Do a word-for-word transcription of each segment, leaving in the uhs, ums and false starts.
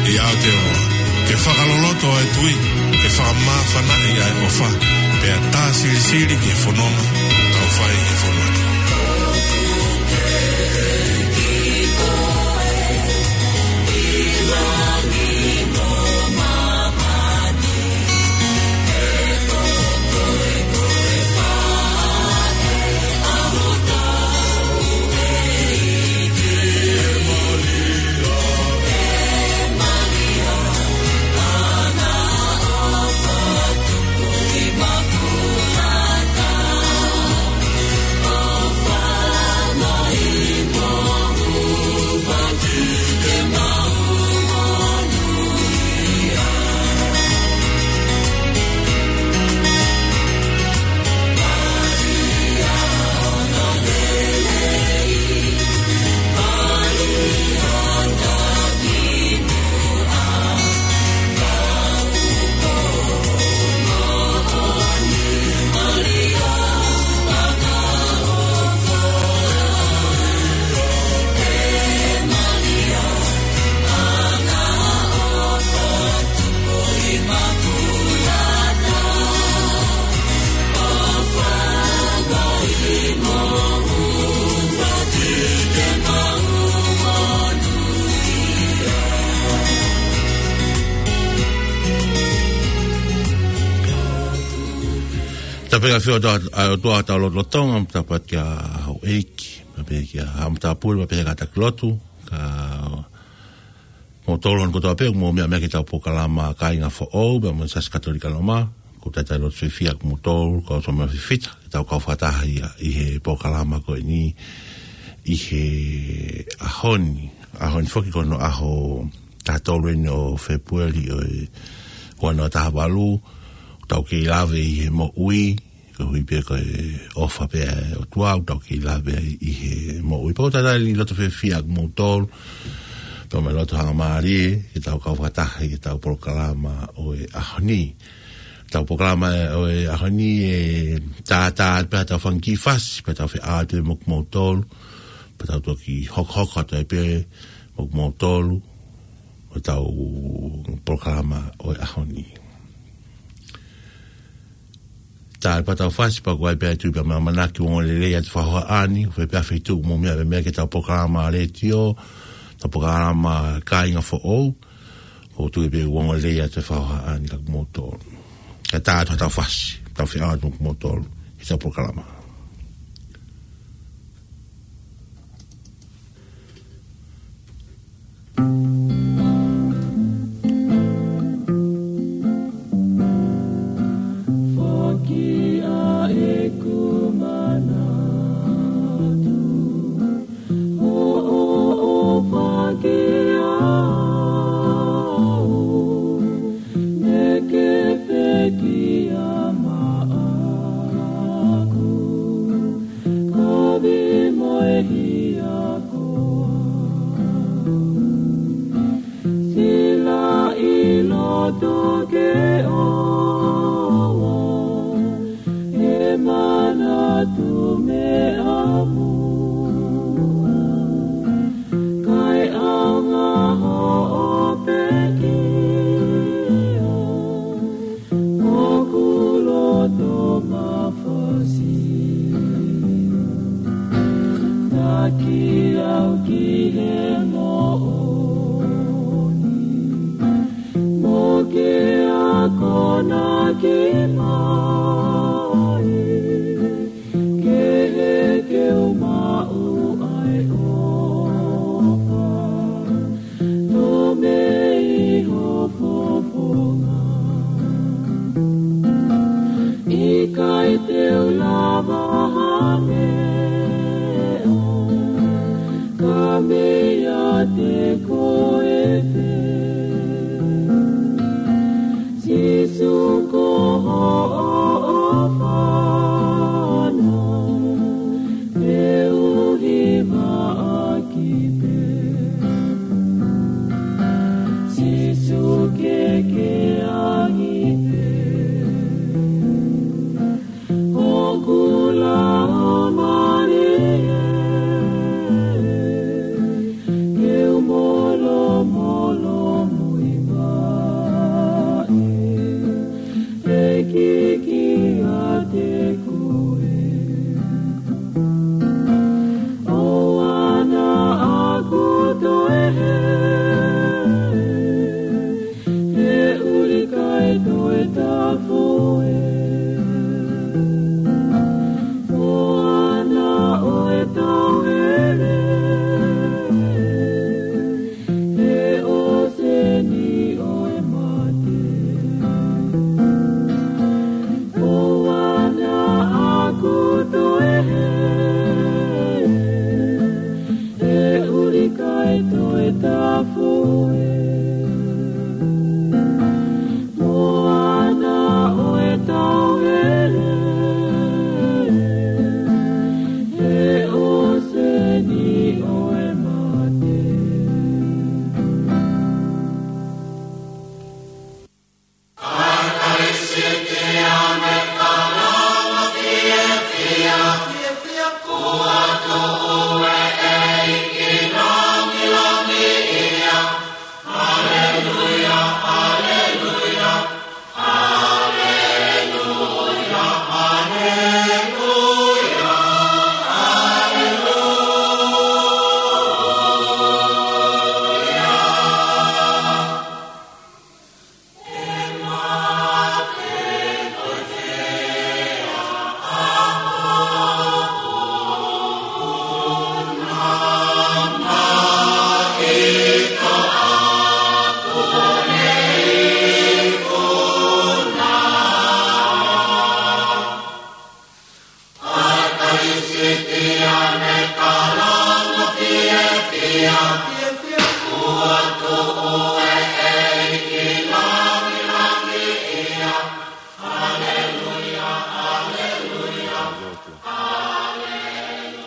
ʻIo Aotearoa, ke fakaloloto ʻa e tui, ke fakamāfanaʻi ʻa e ʻofa, pea tā silisili ki he fononga ʻoku tau fai he fonua ni. Tapu ki he ʻafio ʻa e ʻOtua ʻi hotau lotolotonga, tapu atu ki he houʻeiki, tapu ki he haʻa matāpule, tapu ki he kātaki lotu, ka mo tolo hano kotoa pē, mou meʻa mai ki heʻetau polokalama Kāinga Foʻou, pea mo e Siasi Katolika Loma, ko e talitali lotu fiefia ʻa kimoutolu, ko e ʻofa mo e fifita, ke tau kau fakataha ia ʻi he polokalama ko eni, ʻi he ʻaho ni, ʻaho ni foki ko hono ʻaho taha tolu eni ʻo Fēpueli ʻo e ua noa taha valu, tau kei lave ʻi he moʻui, koeʻuhi pē ko e ʻofa pē ʻa e ʻOtua ʻoku tau kei lave ai ʻi he moʻui. Pea ʻoku ou talitali loto fiefia ʻa kimoutolu, pea mo e loto hangamālie, ke tau kau fakataha ʻi heʻetau polokalama ʻo e ʻaho ni. ʻEtau polokalama ʻo e ʻaho ni ʻe tātā pē ʻetau fanga kiʻi fasi, pea tau feʻao atu mo kimoutolu, pea tau toki hokohoko atu ai pē mo kimoutolu, ʻo ʻetau polokalama ʻo e ʻaho ni. Talitali pē ʻetau fasi, pea ko e ʻai pē ʻa e tui pea mo e ʻamanaki ʻoku ongoongolelei atu e fakahohaʻa ni, ʻoku fai pē ʻa e feituʻu mou meʻa pē mai ki heʻetau polokalama letiō, ʻetau polokalama Kāinga Foʻou, ʻoku ou tui pē ʻoku ongoongolelei atu e fakahohaʻa ni kia kimoutolu. Kae tā atu ʻetau fasi, tau feʻao atu mo kimoutolu, ʻi heʻetau polokalama. Foki ʻa ʻeku manatu, hoʻo ʻofa kiate au, naʻa ke pekia maʻaku, kovi mo e hia ko au. Silaʻi loto ke ʻoua ʻe manatu meʻa muʻa, kae ʻaonga hoʻo pekia, ʻoku loto mafasia. Taki au ki he moʻoni, mo ke akonaki mai, ke heke u maʻu ʻa e ʻofa, tō mei ho fofonga. ʻIkai te u lava ha meʻa, ka meiate koe pē. Sīsū ko hoʻo ʻofa na, te u hivaʻaki pē. Sīsū ke ke angi pē. ʻOku laumālie, ke u molomolo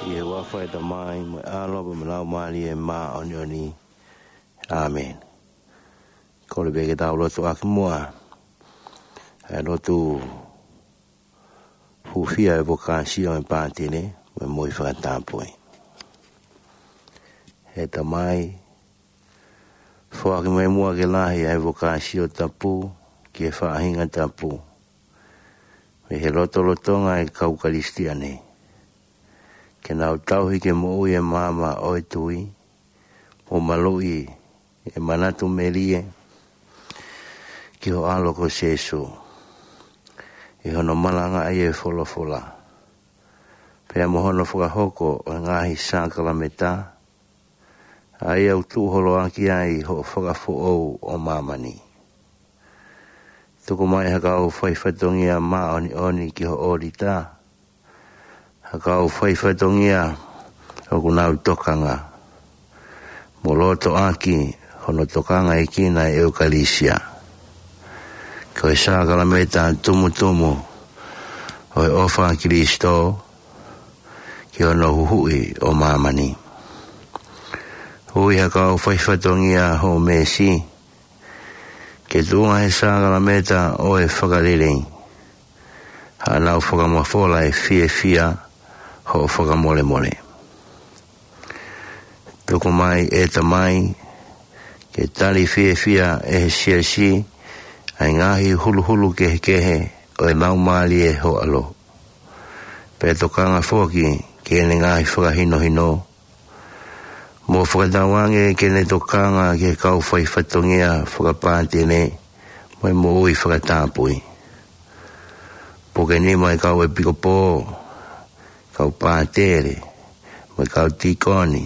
ʻI he huafa ʻo e Tamai mo e ʻAlo mo e Laumālie Māʻoniʻoni. ʻĀmeni. Kole pē ke tau lotu ʻaki muʻa. ʻE lotu hūfia e vokāsio ʻa e pātele mo e moʻui fakatapui. ʻE Tamai, foaki mai muʻa ke lahi ʻa e vokāsio tapu ki he faʻahinga tapu mei he lotolotonga ʻo e kau Kalisitiane, ke nau tauhi ke moʻui e maama ʻo e tui, mo maluʻi e manatu melie ki ho ʻAlo ko Sīsū, ʻi hono malangaʻi e folofola, pea mo hono fakahoko ʻo e ngaahi sākalamēniti, ʻa ia ʻoku tuʻu holo ʻaki ai hoʻo fakafoʻou ʻo māmani. Tuku mai ha kau faifatongia māʻoniʻoni ki ho ʻōlita, ha kau faifatongia ʻoku nau tokanga mo loto ʻaki hono tokangaʻi ʻa e ʻEukalisia, ko e sākalamēniti tumutumu ʻo e ʻofa ʻa Kalaisi ki hono huhuʻi ʻo māmani. Ui ha kau faifatongia ho mēsi ke tuʻunga he sākalamēniti ʻo e fakalelei haʻanau fakamafola e fiefia hoʻo fakamolemole. Tuku mai ʻe Tamai ke tali fiefia ʻe he siasi ʻa e ngaahi huluhulu kehekehe ʻo e Laumālie ho ʻAlo, pea tokanga foki ki heʻene ngaahi fakahinohino, mo fakatauange ke ne tokanga ki he kau faifatongia fakapātele mo e moʻui fakatapui. Puke nima e kau ʻepikopō, kau pātele, mo e kau tīkoni,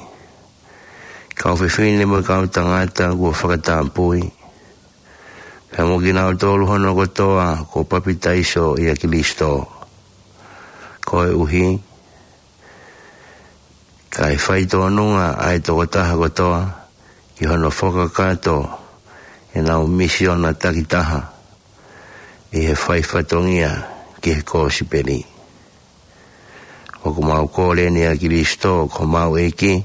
kau fefine mo e kau tangata kuo fakatapui, pea mo kinautolu hono kotoa kuo papitaiso ʻia Kalaisi, koeʻuhi kae faitōnunga ʻa e tokotaha kotoa ki hono fakakakato ʻenau misiona takitaha ʻi he faifatongia ki he kosipeli. ʻOku mau kole ni ʻia Kalaisi ko homau ʻEiki,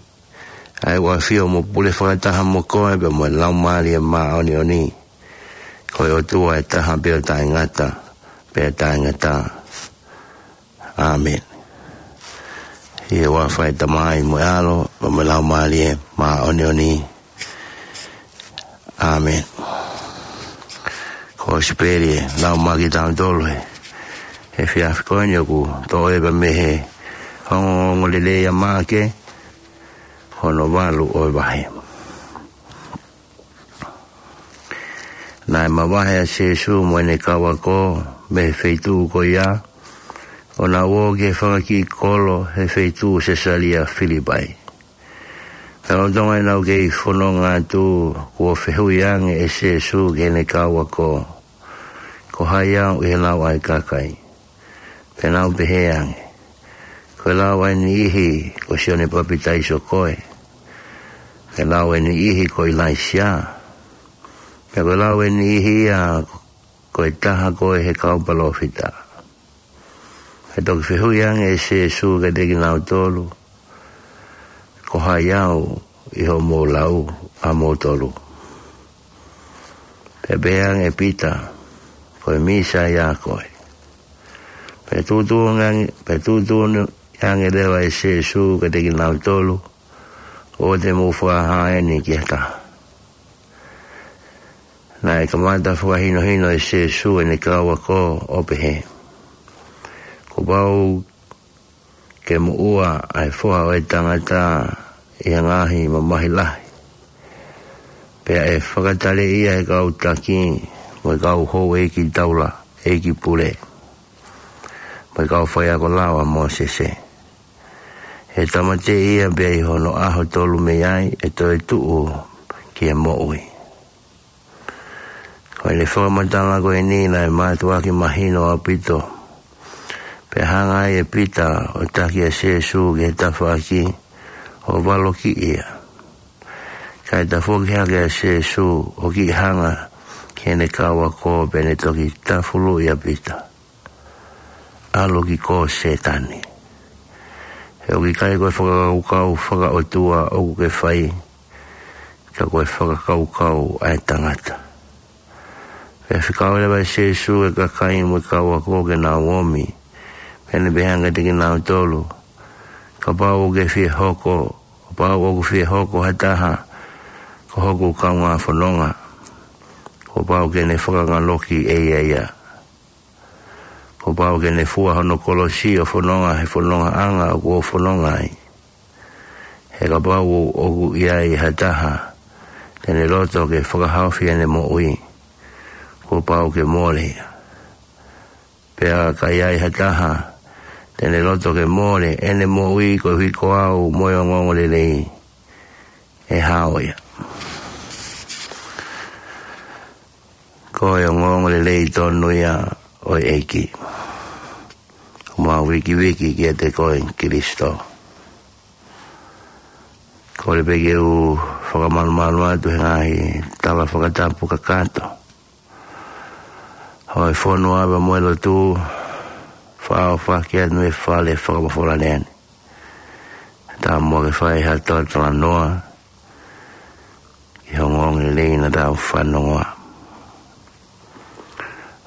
ʻa ia ʻoku ʻafio mo pule fakataha mo koe pea mo e Laumālie Māʻoniʻoni, ko e ʻOtua ʻe taha pē ʻo taʻengata pea taʻengata. ʻĀmeni. ʻI he huafa ʻo e Tamai mo e ʻAlo mo e Laumālie Māʻoniʻoni. ʻĀmeni. Kosipeli ʻe lau maʻa kitautolu he efiafi ko eni ʻoku toʻo ia mei he ongoongolelei ʻa Maʻake, hono valu ʻo e vahe. Naʻe mavahe ʻa Sīsū mo ʻene kau ako mei he feituʻu ko ia, ʻo nau ō ki he fanga kiʻi kolo he feituʻu Sesalia Filipai. Pea lolotonga ʻenau kei fononga atu, kuo fehuʻi ange ʻe Sīsū ki heʻene kau ako, Ko hai au ʻi he lau ʻa e kakai? Pea nau pehē ange, Ko e lau ʻa e niʻihi ko Sione Papitaiso koe, pea lau ʻa e niʻihi ko ʻIlaisiā, pea ko e lau ʻa e niʻihi ia ko e taha koe he kau palōfita. Pea toki fehuʻi ange ʻe Sīsū kiate kinautolu, Ko hai au ʻi hoʻomou lau ʻamoutolu? Pea pehē ange ʻe Pita, Ko e Mīsaia koe. Pea tuʻutuʻuni ange, pea tuʻutuʻuni ange leva ʻe Sīsū kiate kinautolu, ʻOua te mou fakahā eni ki ha taha. Naʻe kamata fakahinohino ʻe Sīsū ʻene kau ako ʻo pehē, kuo pau ke moʻua ʻa e Foha ʻo e Tangata ʻi ha ngaahi mamahi lahi, pea ʻe fakataleʻi ia ʻe he kau taki mo e kau houʻeiki taulaʻeiki pule, mo e kau faiako lao ʻa Mōsese. ʻE tāmateʻi ia, pea ʻi hono ʻaho tolu mei ai ʻe toe tuʻu ki he moʻui. Ko ʻene fakamatala ko eni naʻe mātuʻaki mahino ʻaupito. Pea hanga ai ʻe Pita ʻo taki ʻa Sīsū ki he tafaʻaki ʻo valokiʻi ia. Kae tafoki hake ʻa Sīsū ʻo kiʻi hanga ki heʻene kau ako, pea ne toki tafuluʻi ʻa Pita, ʻAlu ki kō, Sētane. He ʻoku ʻikai ko e fakakaukau fakaʻotua ʻoku ke fai, ka ko e fakakaukau ʻa e tangata. Pea fekau leva ʻe Sīsū e kakai mo e kau ako ke nau omi, pea ne pehē ange kiate kinautolu, Kapau ʻoku fie hoko, kapau ʻoku fie hoko ha taha ko hoku kaungā fononga, kuo pau ke ne fakangaloki ʻe ia ia. Kuo pau ke ne fua hono kolosi ʻo fononga he fonongaʻanga ʻoku ou fononga ai. He kapau ʻoku ʻi ai ha taha te ne loto ke fakahaofi ʻene moʻui, kuo pau ke mole ia. Pea ka ʻi ai ha taha te ne loto ke mole ʻene moʻui koeʻuhi ko au mo e ongoongolelei, ʻe hao ia. Ko e ongoongolelei tonu ia ʻo e ʻEiki. Mau vikiviki kiate koe, Kilisitō. Kole pē ke u fakamalumalu atu he ngaahi tala fakatapu kakato ʻo e fonua pea mo e lotu, fakaʻofoʻofa atu e fale fakamafola ni. Tau muʻa ke fai ha talatalanoa ki he ongoongolelei naʻa tau fanongoa.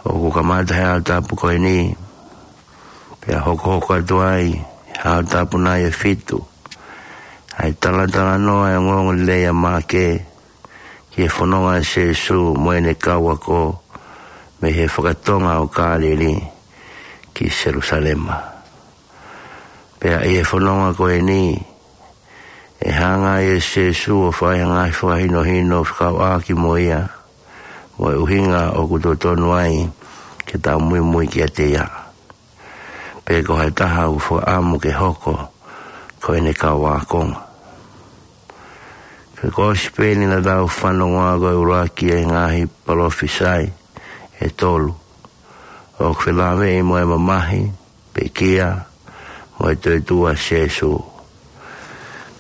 ʻOku kamata he ʻaho tapu ko eni, pea hokohoko atu ai he ʻaho tapu nai ʻe fitu ʻa e talatalanoa ʻo e ongoongolelei ʻa Maʻake ki he fononga ʻa Sīsū mo ʻene kau ako mei he fakatonga ʻo Kāleli ki Selusalema. Pea ʻi he fononga ko eni, ʻe hanga ai ʻe Sīsū ʻo fai ha ngaahi fakahinohino fekauʻaki mo ia, mo e ʻuhinga ʻoku totonu ai ke tau muimui kiate ia. Pe ko ha taha ʻoku fakaʻamu ke hoko ko ʻene kau ākonga. Ko e kosipeli naʻa tau fanongoa ko e ʻuluaki ʻi he ngaahi palōfisai ʻe tolu ʻoku felāveʻi mo e mamahi, pekia, mo e toetuʻu ʻa Sīsū.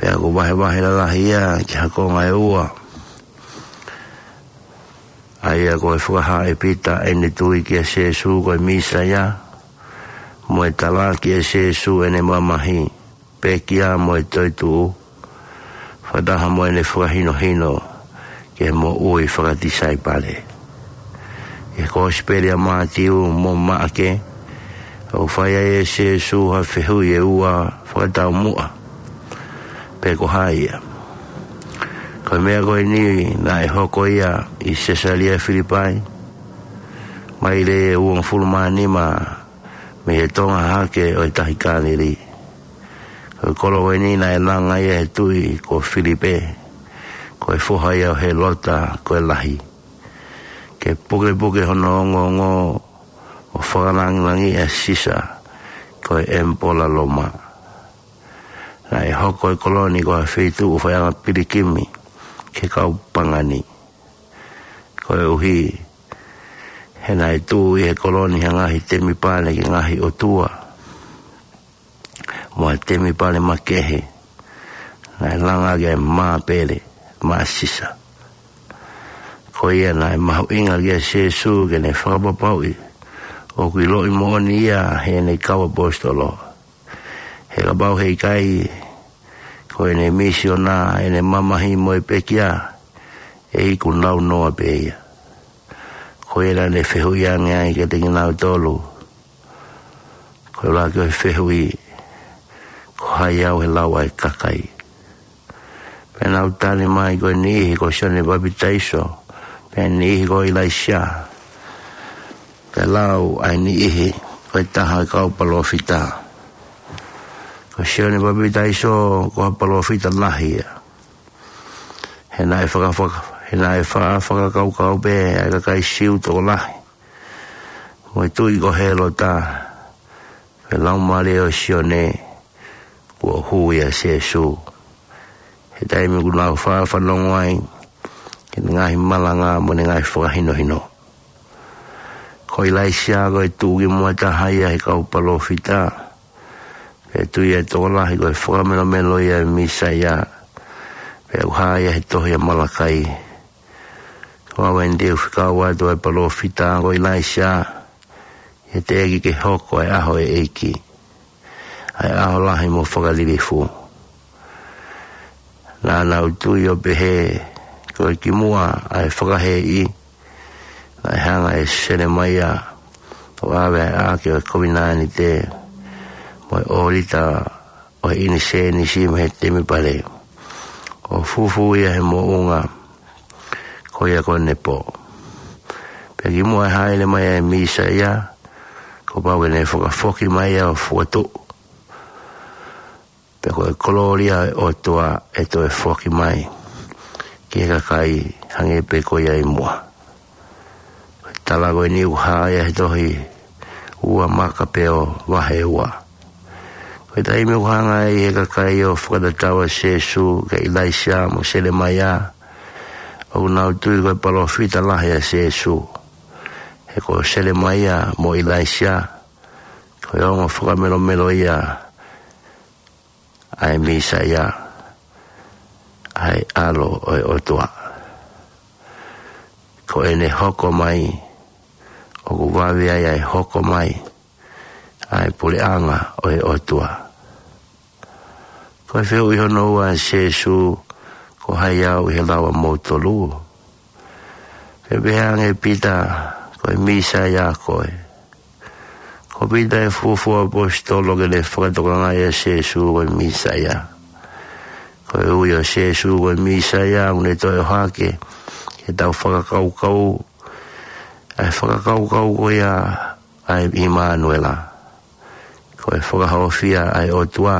Pea ʻoku vahevahe lalahi ia ki ha konga ʻe ua. ʻA ia ko e fakahā ʻe Pita ʻene tui kia Sīsū ko e Mīsaia, mo e talaki ʻe Sīsū ʻene mamahi, pekia mo e toetuʻu, fakataha mo ʻene fakahinohino ki he moʻui fakatisaipale. ʻI he kosipeli ʻa Mātiu mo Maʻake, ʻoku fai ai ʻe Sīsū ha fehuʻi ʻe ua fakataumuʻa. Pe ko hai ia? Ko e meʻa ko eni naʻe hoko ia ʻi Sesalia Filipai, maile ʻe uongofulu mā nima mei he tonga hahake ʻo e tahi Kāleli. Ko e kolo ko eni naʻe langa ia ʻe he tuʻi ko Filipe, ko e foha ia ʻo Hēlota ko e Lahi, ke pukepuke hono ongoongo ʻo fakalāngilangiʻi ʻa Sisa, ko e ʻemipola Loma. Naʻe hoko e kolo ni ko ha feituʻu faiʻanga pilikimi ki he kau pagani. Koeʻuhi he naʻe tuʻu ʻi he kolo ni ha ngaahi temipale ki he ngaahi ʻotua, mo ha temipale makehe naʻe langa ʻaki ʻa e māpele maʻa Sisa. Ko ia naʻe mahuʻinga kia Sīsū ke ne fakapapauʻi ʻoku ʻiloʻi moʻoni ia ʻe heʻene kau ʻaposetolo. He kapau he ʻikai ko ʻene misiona, ʻene mamahi mo e pekia, ʻe iku naunoa pē ia. Ko ia naʻa ne fehuʻi ange ai kiate kinautolu, ko e ʻuluaki ʻo e fehuʻi, ko hai au he lau ʻa e kakai? Pea nau tali mai, ko e niʻihi ko Sione Papitaiso, Pea niʻihi ko ʻIlaisiā, pea lau ʻa e niʻihi ko e taha ʻo e kau palōfita. Ko Sione Papitaiso ko ha palōfita lahi ia. He naʻe fakafaka-, he naʻe faʻa fakakaukau pē ʻa e kakai Siu tokolahi mo e tuʻi ko Hēlota, ko e laumālie ʻo Sione, kuo hū ia ʻa Sēsū. He taimi kuo nau faʻa fanongo ai ki heʻene ngaahi malanga mo ʻene ngaahi fakahinohino. Ko ʻIlaisiā ko e tuʻukimuʻa taha ia he kau palōfita. Pea tui ʻa e tokolahi ko e fakamelomelo ia ʻo e Mīsaia. Pea ʻoku hā ia he tohi ʻa Malakai. Ko au eni te u fekau atu ʻa e palōfita ko ʻIlaisiā, ʻi he teʻeki ke hoko ʻa e ʻaho ʻo e ʻEiki, ʻa e ʻaho lahi mo fakalilifu. Naʻa nau tui ʻo pehē, ko e kimuʻa ʻa e fakahēʻi, naʻe hanga ʻe Selemaia ʻo ʻave ʻa e ʻAʻake ʻo e Kovinānite mo e ʻōlita ʻo e ʻinisēnisi mei he temipale, ʻo fufū ia he moʻunga ko ia ko Nepo. Pea kimuʻa ʻi he hāʻele mai ʻa e Mīsaia, kuo pau ke ne fakafoki mai ia ʻo fokotuʻu. Pea ko e kolōlia ʻo e ʻOtua ʻe toe foki mai ki he kakai hangē pē ko ia ʻi muʻa. Ko e tala ko eni ʻoku hā ia he tohi ua Makapeo vahe ua. Ko e taimi ʻoku hanga ai ʻe he kakai ʻo fakatatau ʻa Sēsū kia ʻIlaisiā mo Selemaia, ʻoku nau tui ko e palōfita lahi ʻa Sēsū. He ko Selemaia mo ʻIlaisiā, ko e ongo fakamelomelo ia ʻa e Mīsaia, ʻa e ʻAlo ʻo e ʻOtua. Ko ʻene hoko mai, ʻoku vave ai ʻa e hoko mai ʻa e puleʻanga ʻo e ʻOtua. Ko e fehuʻi hono ua ʻa Sēsū, ko hai au ʻi he lau ʻamoutolu? Pea pehē ange ʻe Pita, ko e Mīsaia koe. Ko Pita ʻa e fuofua ʻaposetolo ke ne fakatokangaʻi ʻa Sēsū ko e Mīsaia. Ko e ui ʻo Sēsū ko e Mīsaia, ʻoku ne toe ʻohake ke tau fakakaukau ʻa e fakakaukau ko ia ʻa e ʻImanuela. Ko e fakahaofia ʻa e ʻOtua.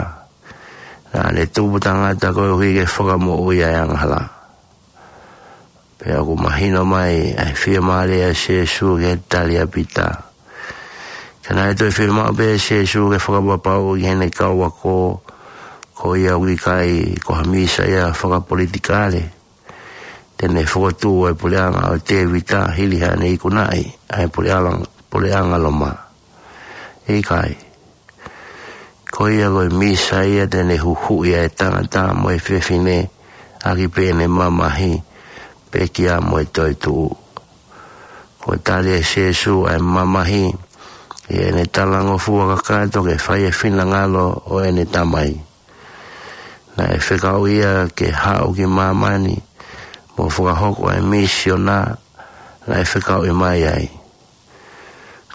Naʻa ne tupu tangata koeʻuhi ke fakamoʻui ʻa e angahala. Pea ʻoku mahino mai ʻa e fiemālie ʻa Sēsū ki he tali ʻa Pita. Ka naʻe toe fiemaʻu pē ʻe Sēsū ke fakapapauʻi ki heʻene kau ako, ko ia ʻoku ʻikai ko ha Mīsaia fakapolitikale, te ne fokotuʻu ʻa e puleʻanga ʻo Tēvita hili haʻane ikunaʻi ʻa e puleʻanga, puleʻanga Loma. ʻIkai. Ko ia ko e Mīsaia te ne huhuʻi ʻa e tangata mo e fefine ʻaki pē ʻene mamahi, pekia mo e toetuʻu. Ko e tali ʻe Sēsū ʻa e mamahi ʻi heʻene talangofua kakato ke fai e finangalo ʻo ʻene Tamai. Naʻe fekauʻi ia ke haʻu ki māmani mo fakahoko ʻa e misiona naʻe fekauʻi mai ai.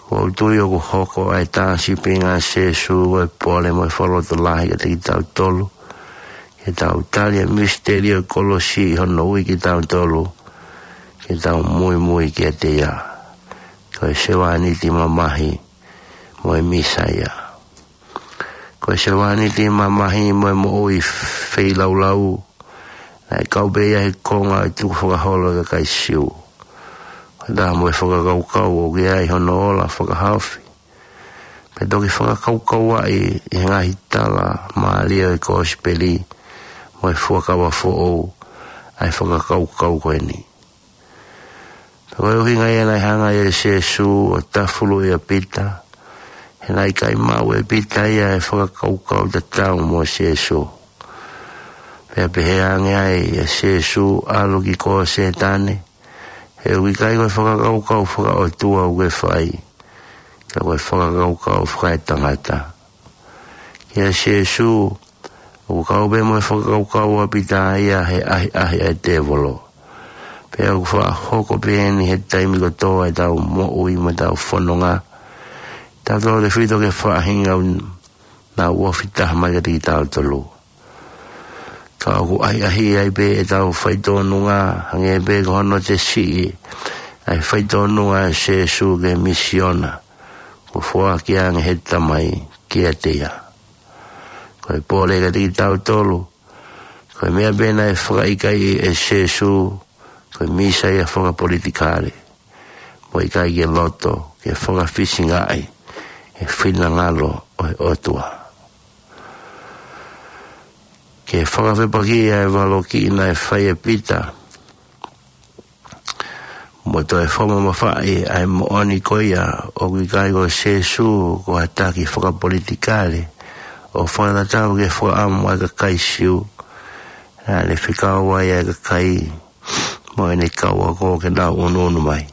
ʻOku ou tui ʻoku hoko ʻa e tāsipinga ʻa Sēsū ko e pole mo e fakalotolahi kiate kitautolu, ke tau tali ʻa e misiteli ʻo e kolosi ʻi hono ui kitautolu ke tau muimui kiate ia. Ko e sevāniti mamahi mo e Mīsaia. Ko e sevāniti mamahi mo e moʻui feilaulau, naʻe kau pē ia he konga ʻo e tukufakaholo ʻa e kakai Siu. Ko e taha mo e fakakaukau ʻoku ʻi ai hono ola fakahaofi. Pea toki fakakaukauaʻi ʻi he ngaahi tala mālie ʻo e Kosipeli mo e Fuakava Foʻou ʻa e fakakaukau ko eni. Pea ko e ʻuhinga ia naʻe hanga ai ʻe Sēsū ʻo tafuluʻi ʻa Pita, he naʻe ʻikai maʻu ʻe Pita ia e fakakaukau tatau mo Sēsū. Pea pehē ange ai ʻa Sēsū, ʻalu ki koe Sētane, he ʻoku ʻikai ko e fakakaukau fakaʻotua ʻoku ke fai, ka ko e fakakaukau fakaetangata. Kia Sēsū, ʻoku kau pē mo e fakakaukau ʻa Pita ia he ʻahiʻahi ʻa e tēvolo. Pea ʻoku faʻa hoko pē eni he taimi kotoa ʻetau moʻui mo ʻetau fononga. Tautolu tefito ki he faʻahinga ʻoku nau ofi taha mai kiate kitautolu. Ka ʻoku ʻahiʻahiʻi ai pē ʻetau faitōnunga, hangē pē ko hono tesiʻi ʻa e faitōnunga ʻa Sēsū ki he misiona kuo foaki ange ʻe he Tamai kiate ia. Ko e pole kiate kitautolu, ko e meʻa pē naʻe fakaʻikaiʻi ʻe Sēsū, ko e Mīsaia fakapolitikale, mo e ʻikai ke loto ke fakafisingaʻi e finangalo ʻo e ʻOtua. Ke fakafepakiʻi ʻa e valokiʻi naʻe fai ʻe Pita, mo toe fakamamafaʻi ʻa e moʻoni ko ia ʻoku ʻikai ko Sēsū ko ha taki fakapolitikale ʻo fakatatau ki he fakaʻamu ʻa e kakai Siu naʻa ne fekau ai ʻa e kakai mo ʻene kau ako ke nau ʻunuʻunu mai.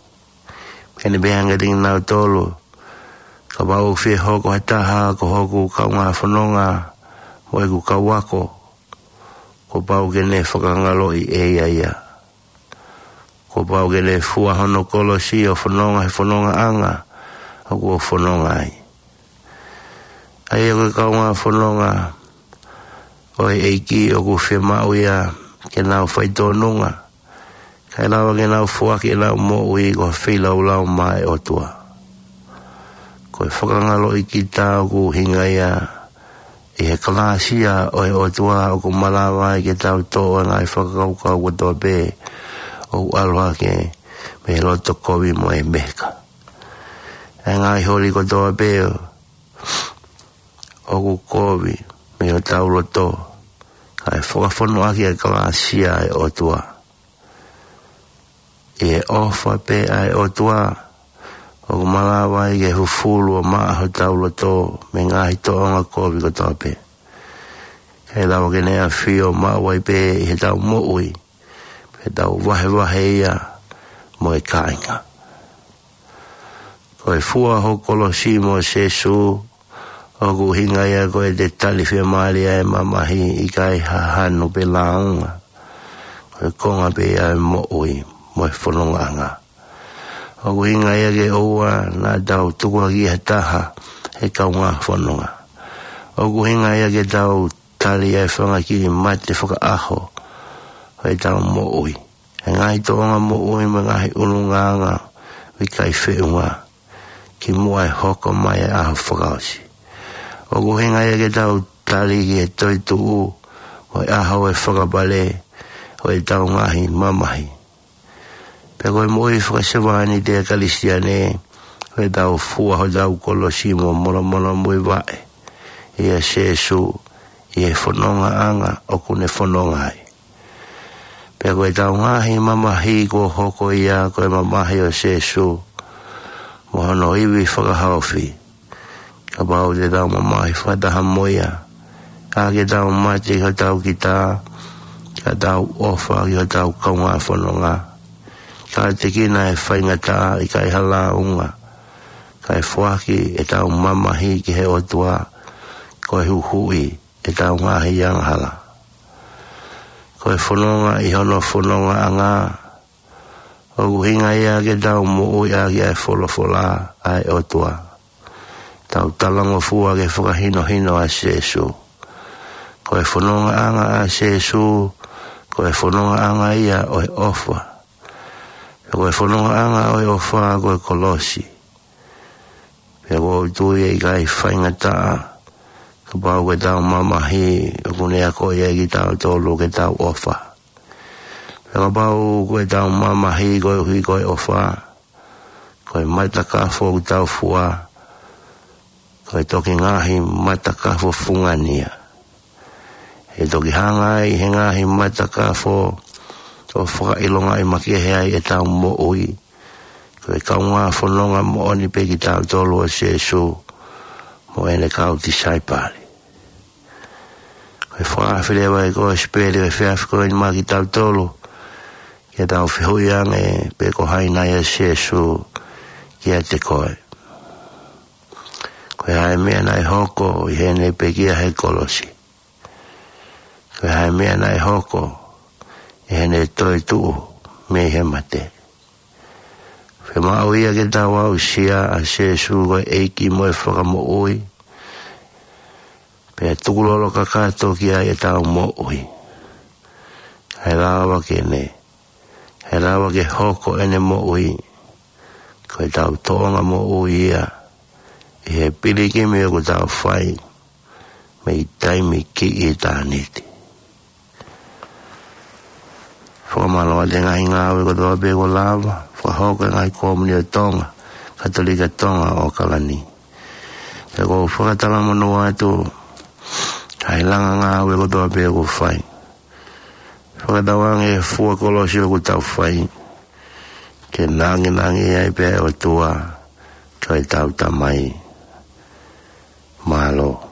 Pea ne pehē ange kiate kinautolu, kapau ʻoku fie hoko ha taha ko hoku kaungā fononga mo ʻeku kau ako, kuo pau ke ne fakangaloʻi ʻe ia ia. Kuo pau ke ne fua hono kolosi ʻo fononga he fonongaʻanga ʻoku ou fononga ai. ʻA ia ko e kaungā fononga ʻo e ʻEiki ʻoku fiemaʻu ia ke nau faitōnunga, kae lava ke nau foaki ʻenau moʻui ko ha feilaulau maʻa e ʻOtua. Ko e fakangaloʻi kita ʻoku ʻuhinga ia ʻi he kalāsia ʻo e ʻOtua ʻoku malava ai ke tau toʻo ʻa e ngaahi fakakaukau kotoa pē ʻoku ʻalu hake mei he loto kovi mo e meheka. ʻA e ngaahi holi kotoa pē ʻoku kovi mei hotau loto, kae fakafonu ʻaki ʻa e kalāsia ʻa e ʻOtua. ʻI he ʻofa pē ʻa e ʻOtua ʻoku malava ai ke fufulu ʻo maʻa hotau loto mei he ngaahi tōʻonga kovi kotoa pē, kae lava ke ne ʻafio maʻu ai pē ʻi heʻetau moʻui, pea tau vahevahe ia mo e kāinga. Ko e fua ho kolosi mo Sēsū, ʻoku ʻuhinga ia ko ʻete tali fiemālie ʻa e mamahi, ʻikai ha hanu pe lāunga. Ko e konga pē ia ʻo e moʻui mo e fonongaʻanga. ʻOku ʻuhinga ia ke ʻoua naʻa tau tukuakiʻi ha taha he kaungā fononga. ʻOku ʻuhinga ia ke tau tali ʻa e fanga kiʻi mate fakaʻaho ʻo ʻetau moʻui, ʻa e ngaahi tōʻonga moʻui mo e ngaahi ʻulungaanga ʻoku ʻikai feʻunga, kimuʻa ʻe hoko mai ʻa e ʻaho fakaʻosi. ʻOku ʻuhinga ia ke tau tali ki he toetuʻu mo e ʻaho ʻo e fakapale ʻo ʻetau ngaahi mamahi. Pea ko e moʻui fakasevāniti ʻa e Kalisitiane, ko ʻetau fua hotau kolosi mo monomono muivaʻe ʻia Sēsū ʻi he fonongaʻanga ʻoku ne fononga ai. Pea ko ʻetau ngaahi mamahi kuo hoko ia ko e mamahi ʻo Sēsū mo hono ivi fakahaofi, kapau te tau mamahi fakataha mo ia, ka ke tau mate ki hotau kita, ka tau ʻofa ki hotau kaungā fononga, ka tekina ʻa e faingataʻa ʻikai ha lāunga, kae foaki ʻetau mamahi ki he ʻOtua ko e huhuʻi ʻetau ngaahi angahala. Ko e fononga ʻi hono fonongaʻanga, ʻoku ʻuhinga ia ke tau moʻui ʻaki ʻa e folofola ʻa e ʻOtua, tau talangofua ki he fakahinohino ʻa Sēsū. Ko e fonongaʻanga ʻa Sēsū, ko e fonongaʻanga ia ʻo e ʻofa. Pea ko e fonongaʻanga ʻo e ʻofa ko e kolosi. Pea ʻoku ou tui ʻe ʻikai faingataʻa kapau ko ʻetau mamahi ʻoku ne akoʻi ai kitautolu ke tau ʻofa. Pea kapau ko ʻetau mamahi koeʻuhi ko e ʻofa, ko e matakafo ʻoku tau fua, ko e toki ngaahi matakafo fungani ia. ʻE toki hanga ai ʻe he ngaahi matakafo ʻo fakaʻilongaʻi makehe ai ʻetau moʻui ko e kaungā fononga moʻoni pē kitautolu ʻo Sēsū mo ʻene kau tisaipale. Ko e fakaafe leva ʻa e kosipeli ʻo e efiafi ko eni maʻa kitautolu, ke tau fehuʻi ange pe ko hai nai ʻa Sēsū kiate koe. Ko e hā e meʻa naʻe hoko ʻi heʻene pekia he kolosi? Ko e hā e meʻa naʻe hoko ʻi heʻene toetuʻu mei he mate? Fiemaʻu ia ke tau aʻusia ʻa Sēsū ko e ʻEiki mo e Fakamoʻui, pea tukulolo kakato ki ai ʻetau moʻui. ʻe lava ke ne, ʻe lava ke hoko ʻene moʻui ko ʻetau tōʻonga moʻui ia ʻi he pilikimi ʻoku tau fai mei taimi ki ʻitāniti. Fakamālō atu e ngaahi ngāue kotoa pē kuo lava fakahoko ʻe he ngaahi Kōmuni ʻo Tonga, Katolika Tonga ʻAokalani. Pea ʻoku ou fakatalamonū atu ʻa e langa ngāue kotoa pē kuo fai. Fakatauange e fua kolosi ʻoku tau fai ke nanginangi ai pē ʻOtua ko ʻetau Tamai. Mālō.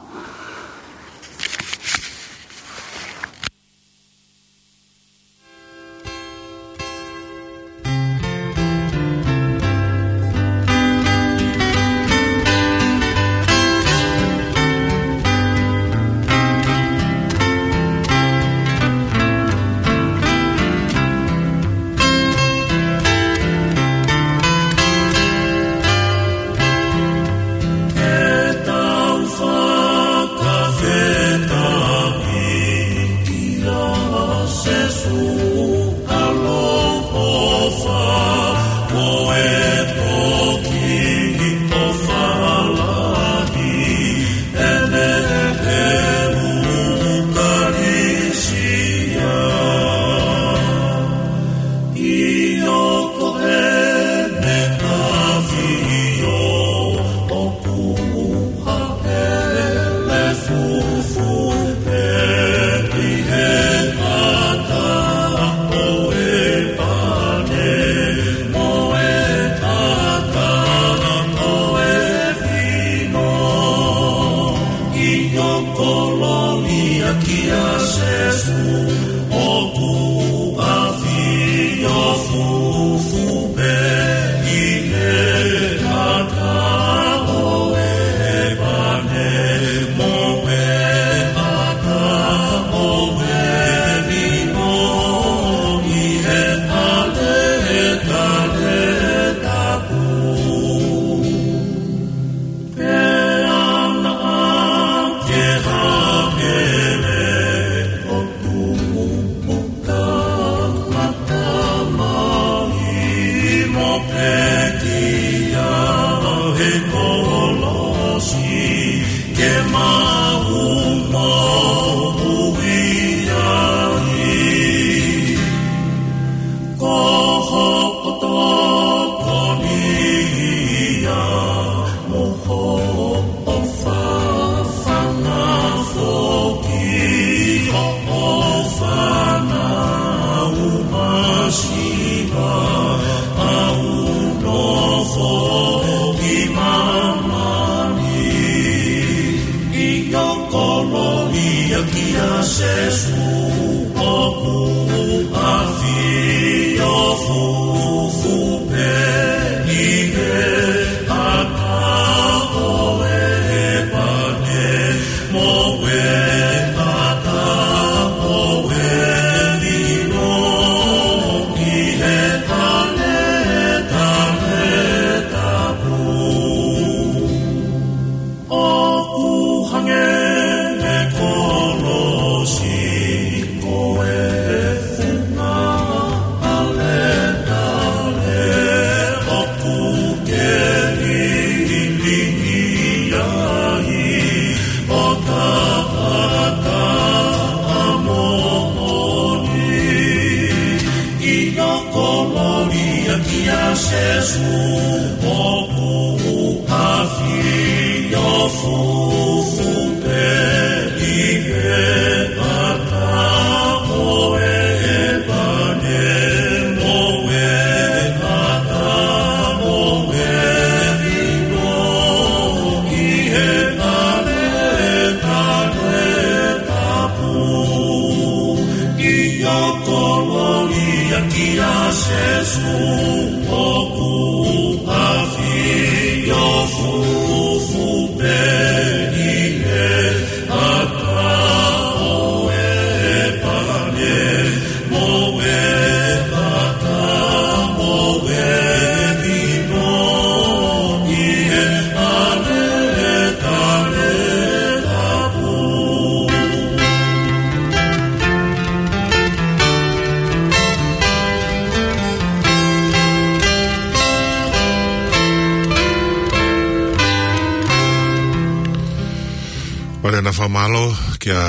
Mālō kia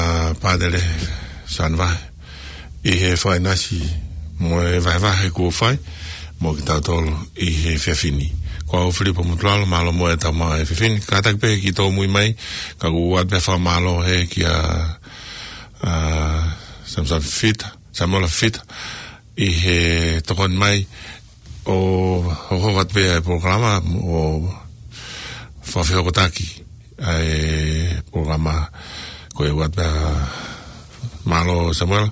Pātele Sanva ʻi he fakaʻinasi mo e vahevahe kuo fai mo kitautolu ʻi he efiafi ni. Ko au Filipo Mutualo, mālō muʻa e tau maʻu he efiafi ni. Kātaki pē ki tōmui mai, ka ʻoku ou ʻoatu pē fakamālō heni kia, ā, Samson Fita, Samuela Fita, ʻi he tokoni mai ʻo hokohoko atu pē ʻa e polokalama ʻo fakafehokotaki ʻa e polokalama. Ko e ʻoatu pē, mālō Samuela,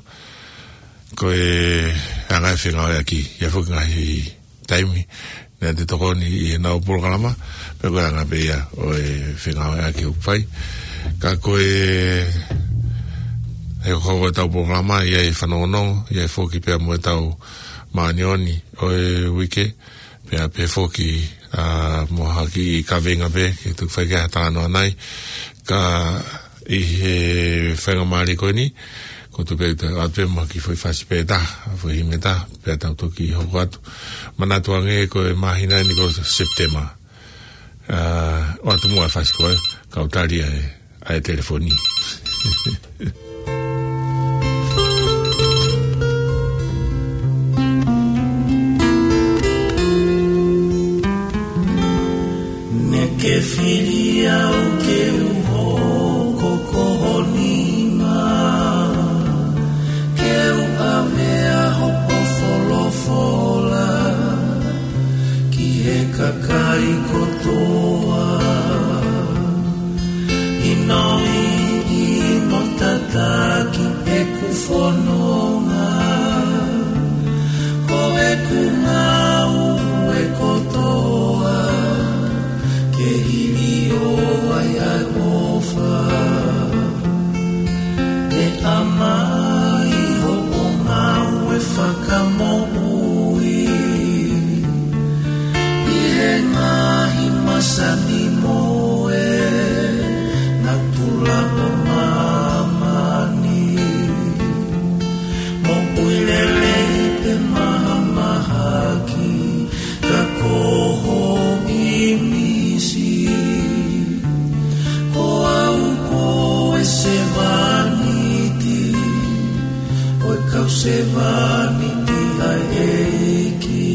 ko e anga e fengāueʻaki, ʻi he foki ngaahi taimi naʻe tokoni ʻi heʻenau polokalama, pea ko e anga pē ia ʻo e fengāueʻaki ʻoku fai. Ka ko e, he hokohoko ʻetau polokalama, ʻi ai e fanongonongo, ʻi ai foki pea mo ʻetau māʻoniʻoni ʻo e uike, pea pehē foki, ā, mo ha kiʻi kaveinga pē, ke tuku fai ki ai ha talanoa nai. Ka ʻi he faingamālie ko eni, ko tu pē te ʻoatu pē mo ha kiʻi foʻi fasi pē ʻe taha, foʻi himi ʻe taha, pea tau toki hoko atu. Manatu ange ko e māhina ni ko Sepitema. Ā, ʻoatu muʻa e fasi ko ē, kau tali ʻa e, ʻa e telefoni. Naʻá ke fili au ke u hoko ko ho nima, ke u ʻave ʻa hoʻo folofola ki he kakai kotoa. ʻInoiʻi mo tataki ʻeku fononga, ko ʻeku ngāue kotoa ke hiliō ai ʻa e ʻofa. Ke ʻomai hoʻo ngāue fakamoʻui ʻi he ngaahi masani mo e natula ʻo māmani. Moʻui lelei pe mahamahaki, ka ko ho ʻīmisi. Ko au ko e sevāniti ʻo e kau sevāniti ʻa e ʻEiki.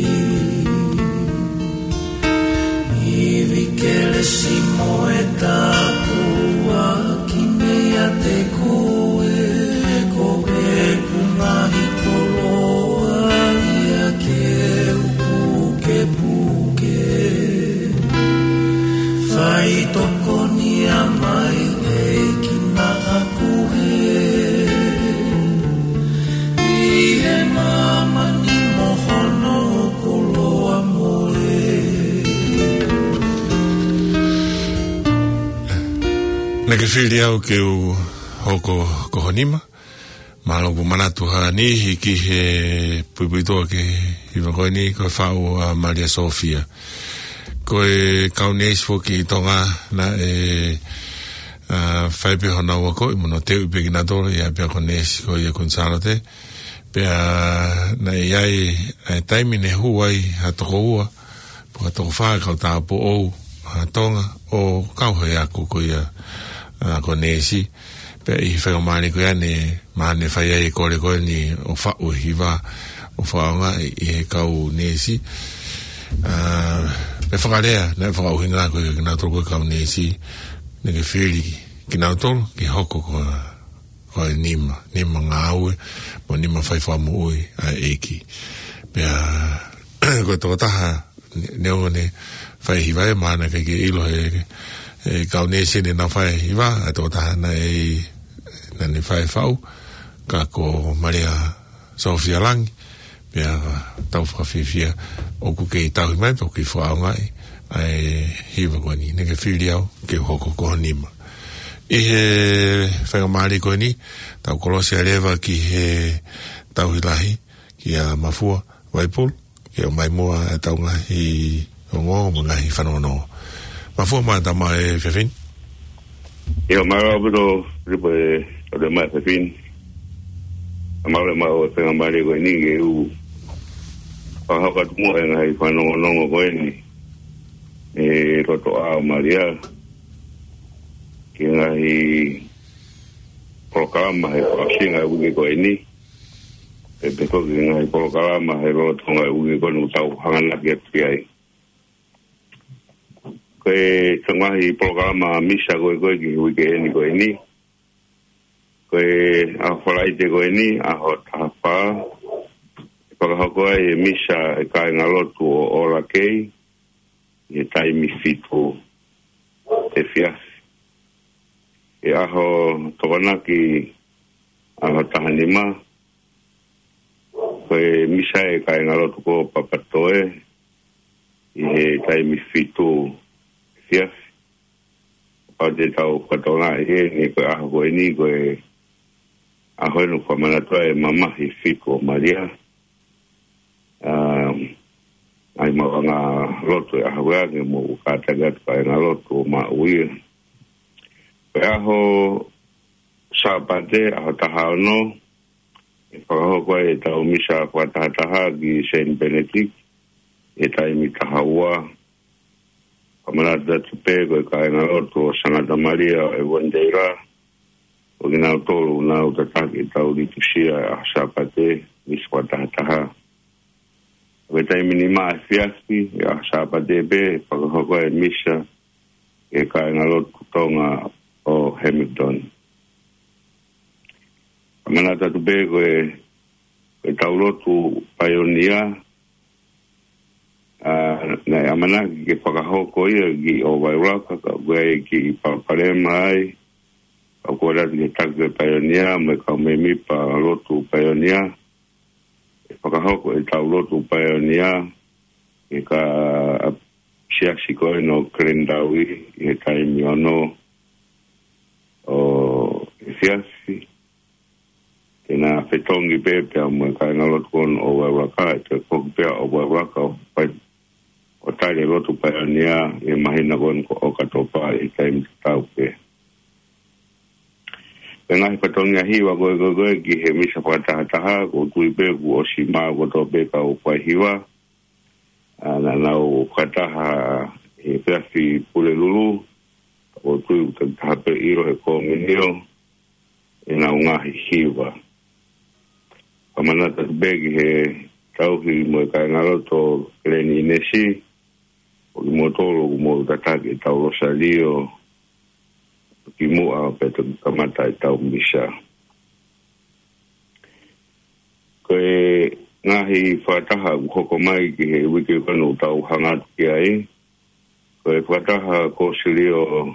Ivi kelesi mo e tāpuaki meiate koe, ko ʻeku ngaahi koloa ia ke u pukepuke. Fai tokoni mai ʻEiki naʻa ku hē ʻi he māmani mo hono koloa mole. Naʻá ke fili au ke u hoko ko ho nima. Mālō ʻoku manatu ha niʻihi ki he puipuituʻa ki he hiva ko eni, ko e faʻu ʻa Malia Sofia. Ko e kau neesi foki ʻi Tonga naʻe, ā, fai pē honau akoʻi mo hono teuʻi pē kinautolu, ʻi ai pē ʻa e kau neesi ko ia Kuini Sālote. Pea naʻe ʻi ai ʻa e taimi ne hū ai ha toko ua, pe ko e toko fā e kau tāupoʻou ʻa Tonga ʻo kau he ako ko ia, ā, ko e neesi. Pea ʻi he faingamālie ko ia ne, mahalo ne fai ai e kole ko eni ʻo faʻu e hiva ʻo fakaʻaongaʻi ʻe he kau neesi. Ā, pea fakalea, naʻe fakaʻuhinga ko ia kinautolu ko e kau neesi, naʻá ke fili kinautolu ke hoko ko e ko e nima, nima ngāue, mo e nima fai fakamoʻui ʻa e ʻEiki. Pea, ko e tokotaha, ne-, neongo ne fai hiva ē, mahalo naʻe ʻikai ke ʻilo ʻe he, ʻe he kau neesi ne nau fai hiva, ʻa e tokotaha naʻe, naʻá ne fai faʻu, ka ko Malia Sofia Langi, pea tau fakafiefia ʻoku kei tauhi mai, pea ʻoku kei fakaʻaongaʻi ʻa e hiva ko eni, naʻá ke fili au ke u hoko ko ho nima. ʻI he faingamālie ko eni, tau kolosi ʻa e leva ki he tauhi lahi, kia Mafua Vaipulu, ke ʻomai muʻa ʻetau ngaahi ongoongo mo e ngaahi fanongonongo. Mafua, mālō e tau maʻu e efiafi ni. ʻIo, mālō ʻaupito, Filipo, e, ʻo e maʻu e efiafi ni. Mālō e maʻu e faingamālie ko eni ke u fakahoko atu muʻa e ngaahi fanongonongo ko eni. ʻE, loto ʻa Malia. Ki he ngaahi polokalama he fakaʻosinga e uike ko eni. Pea pehē ko e ngaahi polokalama he lolotonga e uike ko eni ʻoku tau hanganaki atu ki ai. Ko e ngaahi polokalama misa ko ē ko ē ki he uike eni ko eni. Ko e ʻaho Falaite ko eni, ʻaho taha fā, ʻe fakahoko ai e misa e kāingalotu ʻo ʻOlakei, ʻi he taimi fitu efiafi. ʻE ʻaho Tokonaki, ʻaho taha nima, ko e misa e kāingalotu ko Papatoe, ʻi he taimi fitu efiafi. Pau te tau fakatokangaʻi heni ko e ʻaho ko eni ko e ʻaho ʻoku fakamanatu ai e mamahi fitu ʻo Malia. Um, ʻai maʻu ʻa e ngaahi lotu e ʻaho ko eni mo kātaki atu kāingalotu ʻo maʻu ia. Ko e ʻaho Sāpate, ʻaho taha ono, ʻe fakahoko ai e tau misa fakatahataha ki Saint Benedict, ʻi he taimi taha ua. Fakamanatu atu pē ko e kāingalotu ʻo Sangata Malia ʻo Avondale, ʻo kinautolu ʻoku nau tataki e tau litusia ʻaho Sāpate, misa fakatahataha. Ko e taimi nima efiafi, ʻi he ʻaho Sāpate pē, ʻe fakahoko ai e misa, ʻi he kāingalotu Tonga ʻo Hamilton. Fakamanatu atu pē ko e, ko e tau lotu paionia, ʻa, naʻe ʻamanaki ke fakahoko ia ki ʻOvaeulaka, ka ʻoku ʻi ai e kiʻi palopalema ai, ka ʻoku ʻalu atu ki he taki ko e paionia, mo e kau mēmipa lotu paionia, ʻe fakahoko e tau lotu paionia, ʻi he kāinga siasi ko eni ʻo Glendale, ʻi he taimi ono ʻo efiafi. Te na fetongi pē pea mo e kāingalotu ko eni ʻo ʻOvaeulaka, ʻe toe foki pē ʻa ʻOvaeulaka ʻo fai ʻo tali e lotu paionia ʻi he māhina ko eni ko ʻOkatopa ʻi he taimi tatau pē. Ko e ngaahi fatongia hiva ko ē ko ē ko ē ki he misa fakatahataha, ʻoku ou tui pē kuo ʻosi maʻu kotoa pē kau fai hiva, ʻa, naʻa nau fakataha he efiafi Pulelulu, ʻoku ou tui ʻoku takitaha pē ʻilo he kominio ʻenau ngaahi hiva. Fakamanatu atu pē ki he tauhi mo e kāingalotu ʻo Glen Innes, ʻo kimoutolu ʻoku mou tataki e tau losalio kimuʻa pea toki kamata e tau misa. Ko e ngaahi fakataha ʻoku hoko mai ki he uike ko eni ʻoku tau hanga atu ki ai, ko e fakataha Kōsilio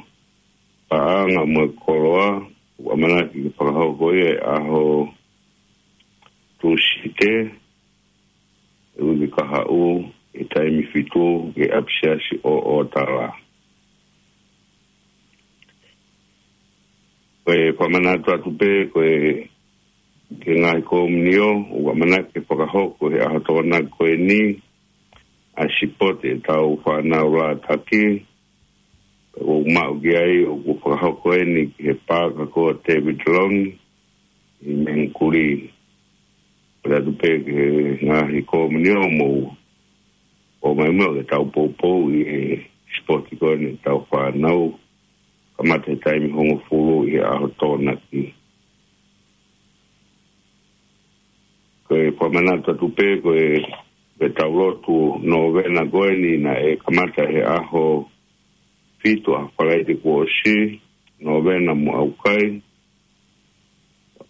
Paʻanga mo e Koloa, ʻoku ʻamanaki ke fakahoko ia he ʻaho Tūsite, e uike kahaʻu, ʻi he taimi fitu, ʻi he ʻapisiasi ʻo ʻOtala. Ko e fakamanatu atu pē, ko e, ki he ngaahi kominio, ʻoku ʻamanaki ke fakahoko he ʻaho Tokonaki ko eni, ʻa e sipote e tau fānau lātaki, ʻoku maʻu ki ai, ʻoku fakahoko eni ki he paaka ko David Long, ʻi Mangere. Pea ʻoatu pē ki he ngaahi kominio mo ʻomai mo e tau poupou ʻi he sipote ko eni e tau fānau, kamata he taimi hongofulu ʻi he ʻaho Tokonaki. Ko e fakamanatu atu pē, ko e, ko e tau lotu nōvena ko eni naʻe kamata he ʻaho fitu, ʻaho Falaite kuo ʻosi, nōvena mo ʻaukai.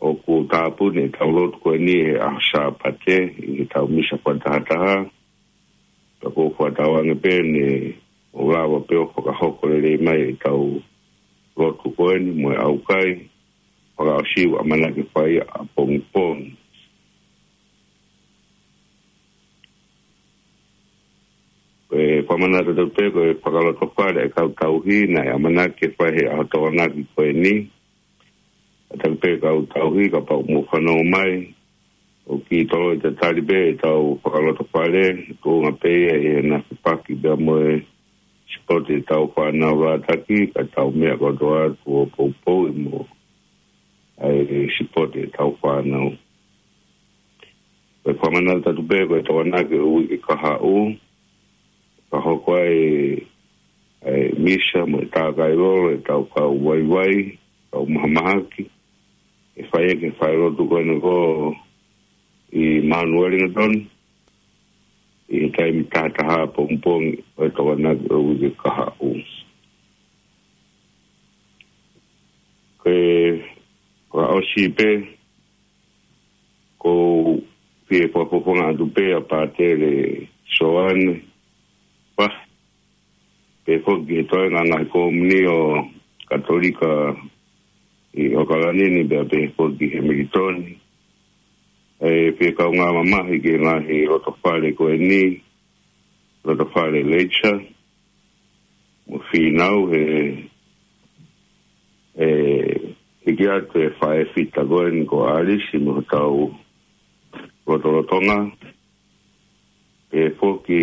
ʻOku tāpuni e tau lotu ko eni he ʻaho Sāpate, ʻi he tau misa fakatahataha. Pea ʻoku ou fakatauange pē ne ʻoku lava pē ʻo fakahoko lelei mai e tau lotu ko eni mo e ʻaukai, fakaʻosi ʻoku ʻamanaki ke fai ʻapongipongi. Ko e fakamanatu atu pē, ko e fakalotofale e kau tauhi naʻe ʻamanaki ke fai he ʻaho Tokonaki ko eni. Kātaki pē kau tauhi kapau ʻoku mou fanongo mai, ʻoku kiʻi toloi tatali pē e tau fakalotofale, tuʻunga pē ia ʻi he naʻe fepaki pea mo e sipote e tau fānau lātaki, ka tau meʻa kotoa atu ʻo poupou ʻi mo ʻai e sipote e tau fānau. Ko e fakamanatu atu pē, ko e Tokonaki ʻo e uike kahaʻu, fakahoko ai e misa mo e tākai lolo e tau kau vaivai, kau mahamahaki, ʻe fai ʻaki e falelotu ko eni ko ē ʻi Mount Wellington, ʻi he taimi taha taha pongipongi ʻo e Tokonaki ʻo e uike kahaʻu. Ko e fakaʻosi pē, ʻoku ou fie fakafofonga atu pē ʻa Pātele Soane Pahi, pehē foki ki he toenga ngaahi kōmuni ʻo Katolika ʻi ʻOkalani ni, pea pehē foki ki Hemilitoni. ʻE fie kaungā mamahi ki he ngaahi lotofale ko eni, lotofale Leisa, mo Fīnau, he, ʻe hiki atu e faʻē fita ko eni ko ʻAlisi mo hotau lotolotonga. Pehē foki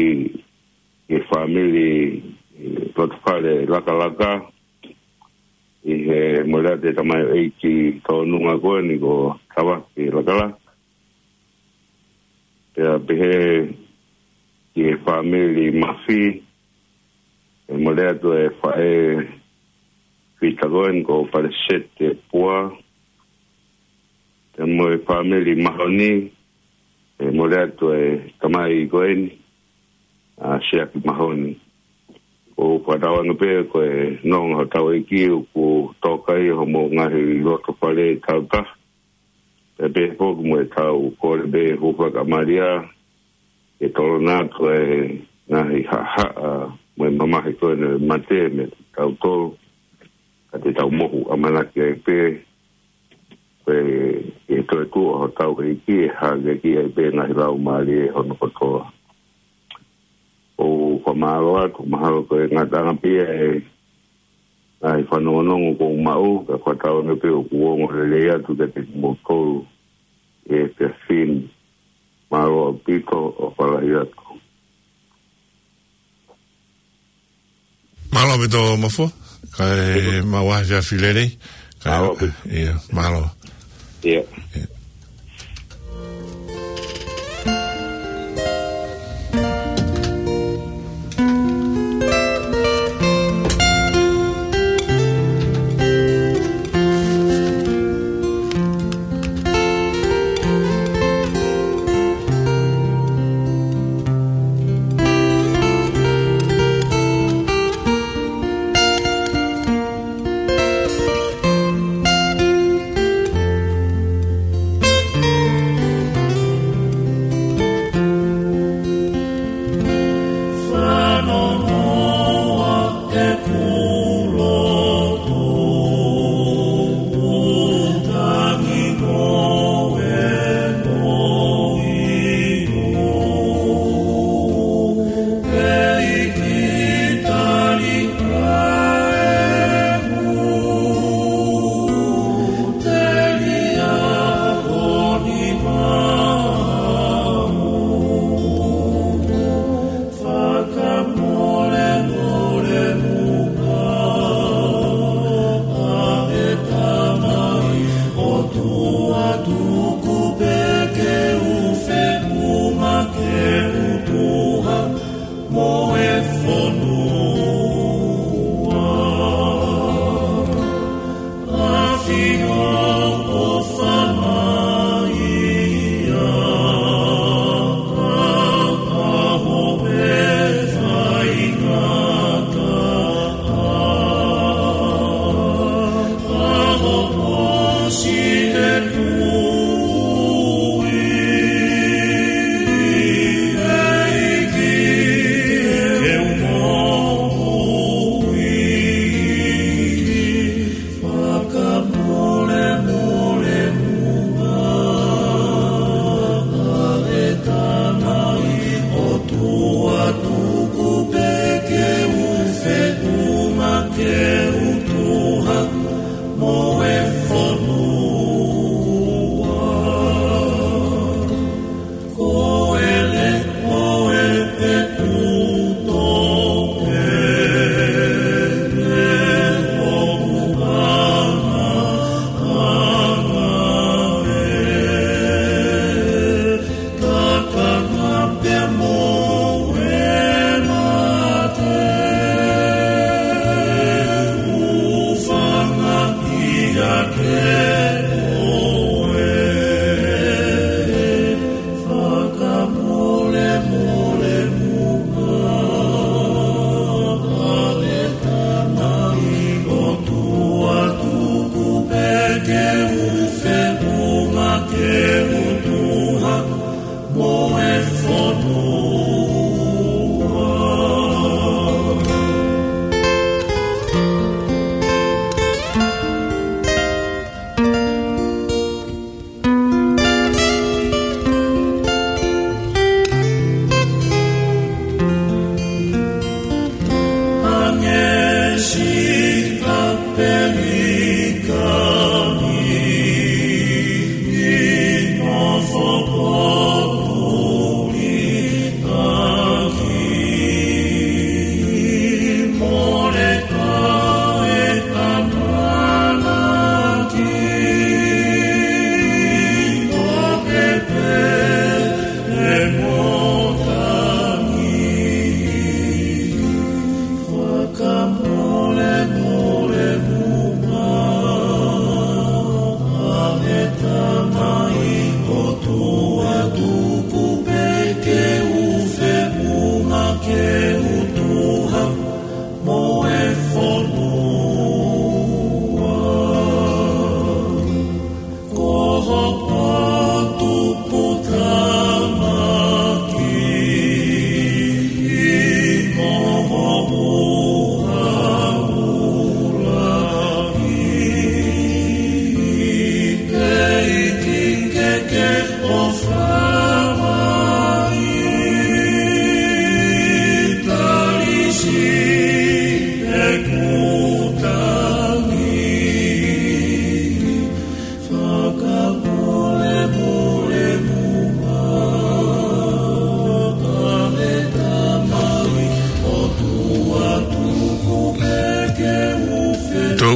ki he fāmili, ʻi lotofale Lakalaka, ʻi he mole atu e tamaioʻeiki tōnunga ko eni ko Tavake Lakalaka. Pea pehē ki he fāmili Mafi, ʻe mole atu e faʻē fita ko eni ko Palesete Pua. Pea mo e fāmili Mahoni, ʻe mole atu e tamai ko eni, ʻa Siaki Mahoni. ʻOku fakatauange pē ko e nonga hotau ʻEiki ʻoku toka ʻi hoʻomou ngaahi lotofale tautaha. Pea pehē foki mo ʻetau kole pē hūfanga ʻa Malia, ke tolonga atu e ngaahi haʻahaʻa mo e mamahi ko eni ʻo e mate meiate kitautolu, ka te tau mohu ʻamanaki ai pē, ko e, ʻe toe tuʻu hotau ʻEiki ʻe hākeakiʻi ai pē ngaahi laumālie hono kotoa. ʻOku ou fakamālō atu, mahalo ko e ngataʻanga pē ia e ngaahi fanongonongo kuo u maʻu, ka fakatauange pē ʻoku ongo lelei atu kiate kimoutolu ʻi he efiafi ni. Mālō ʻaupito, ʻofa lahi atu. Mālō ʻaupito Mafua, kae maʻu ha efiafi lelei. Kae, mālō ʻaupito. ʻIo, mālō. ʻIo.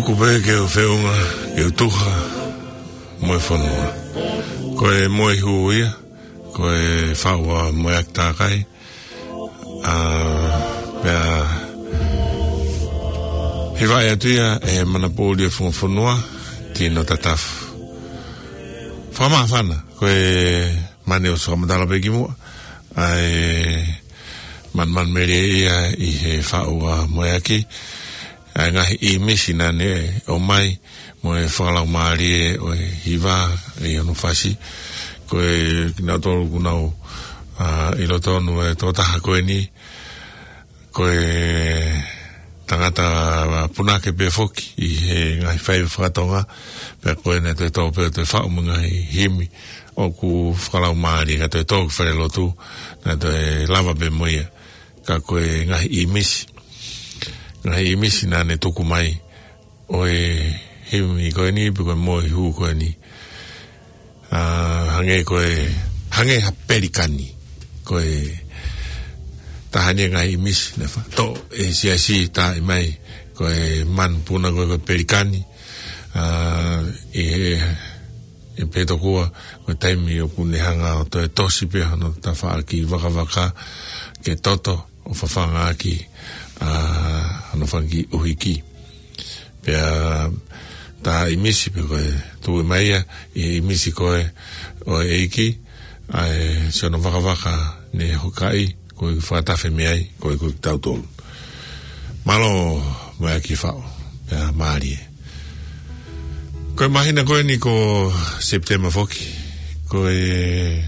Kupe ke u feʻunga, ke u tuha mo e fonua. Ko e Moehū ia, ko e faʻu ʻa Moeaki Takai. ʻA, pea hivaʻi atu ia ʻe he manapoʻuli ʻo e funga fonua, Tino Tatafu. Fakamāfana, ko e mane ʻosi fakamatala pē kimuʻa, ʻa e manumanu melie ia ʻi he faʻu ʻa Moeaki, ʻa e ngaahi ʻīmisi naʻa ne ʻomai, mo e fakalaumālie ʻo e hiva ʻi hono fasi. Ko e kinautolu kuo nau, ʻa, ʻilo tonu e tokotaha ko eni, ko e tangata punake pē foki ʻi he ngaahi faiva fakatonga, pea ko ena ʻe toe tō pē ʻo toe faʻu mo e ngaahi himi ʻoku fakalaumālie, ka toe tō ki falelotu, naʻa toe lava pē mo ia. Ka ko e ngaahi ʻīmisi, ngaahi ʻīmisi naʻa ne tuku mai ʻo e himi ko eni, pe ko e Moehū ko eni. ʻA, hangē ko e, hangē ha pelikani. Ko e taha eni e ngaahi ʻīmisi naʻe faʻu ʻe he siasi, tā mai ko e manupuna ko e, ko e pelikani. ʻA, ʻi he, ʻi he pē tokua, ko e taimi ʻoku ne hanga ʻo toe tosi pē hono tafaʻaki vakavaka ke toto ʻo fafanga ʻaki, ʻa, hono fanga kiʻi ʻuhiki. Pea tā ʻīmisi pē ko e tuʻu mai ia ʻi he ʻīmisi ko e ʻo e ʻEiki, ʻa e siʻono vakavaka ne hokaʻi, ko e fakatafe mei ai, ko e, ko kitautolu. Mālō Moeaki faʻu, pea mālie. Ko e māhina ko eni ko Sepitema foki, ko e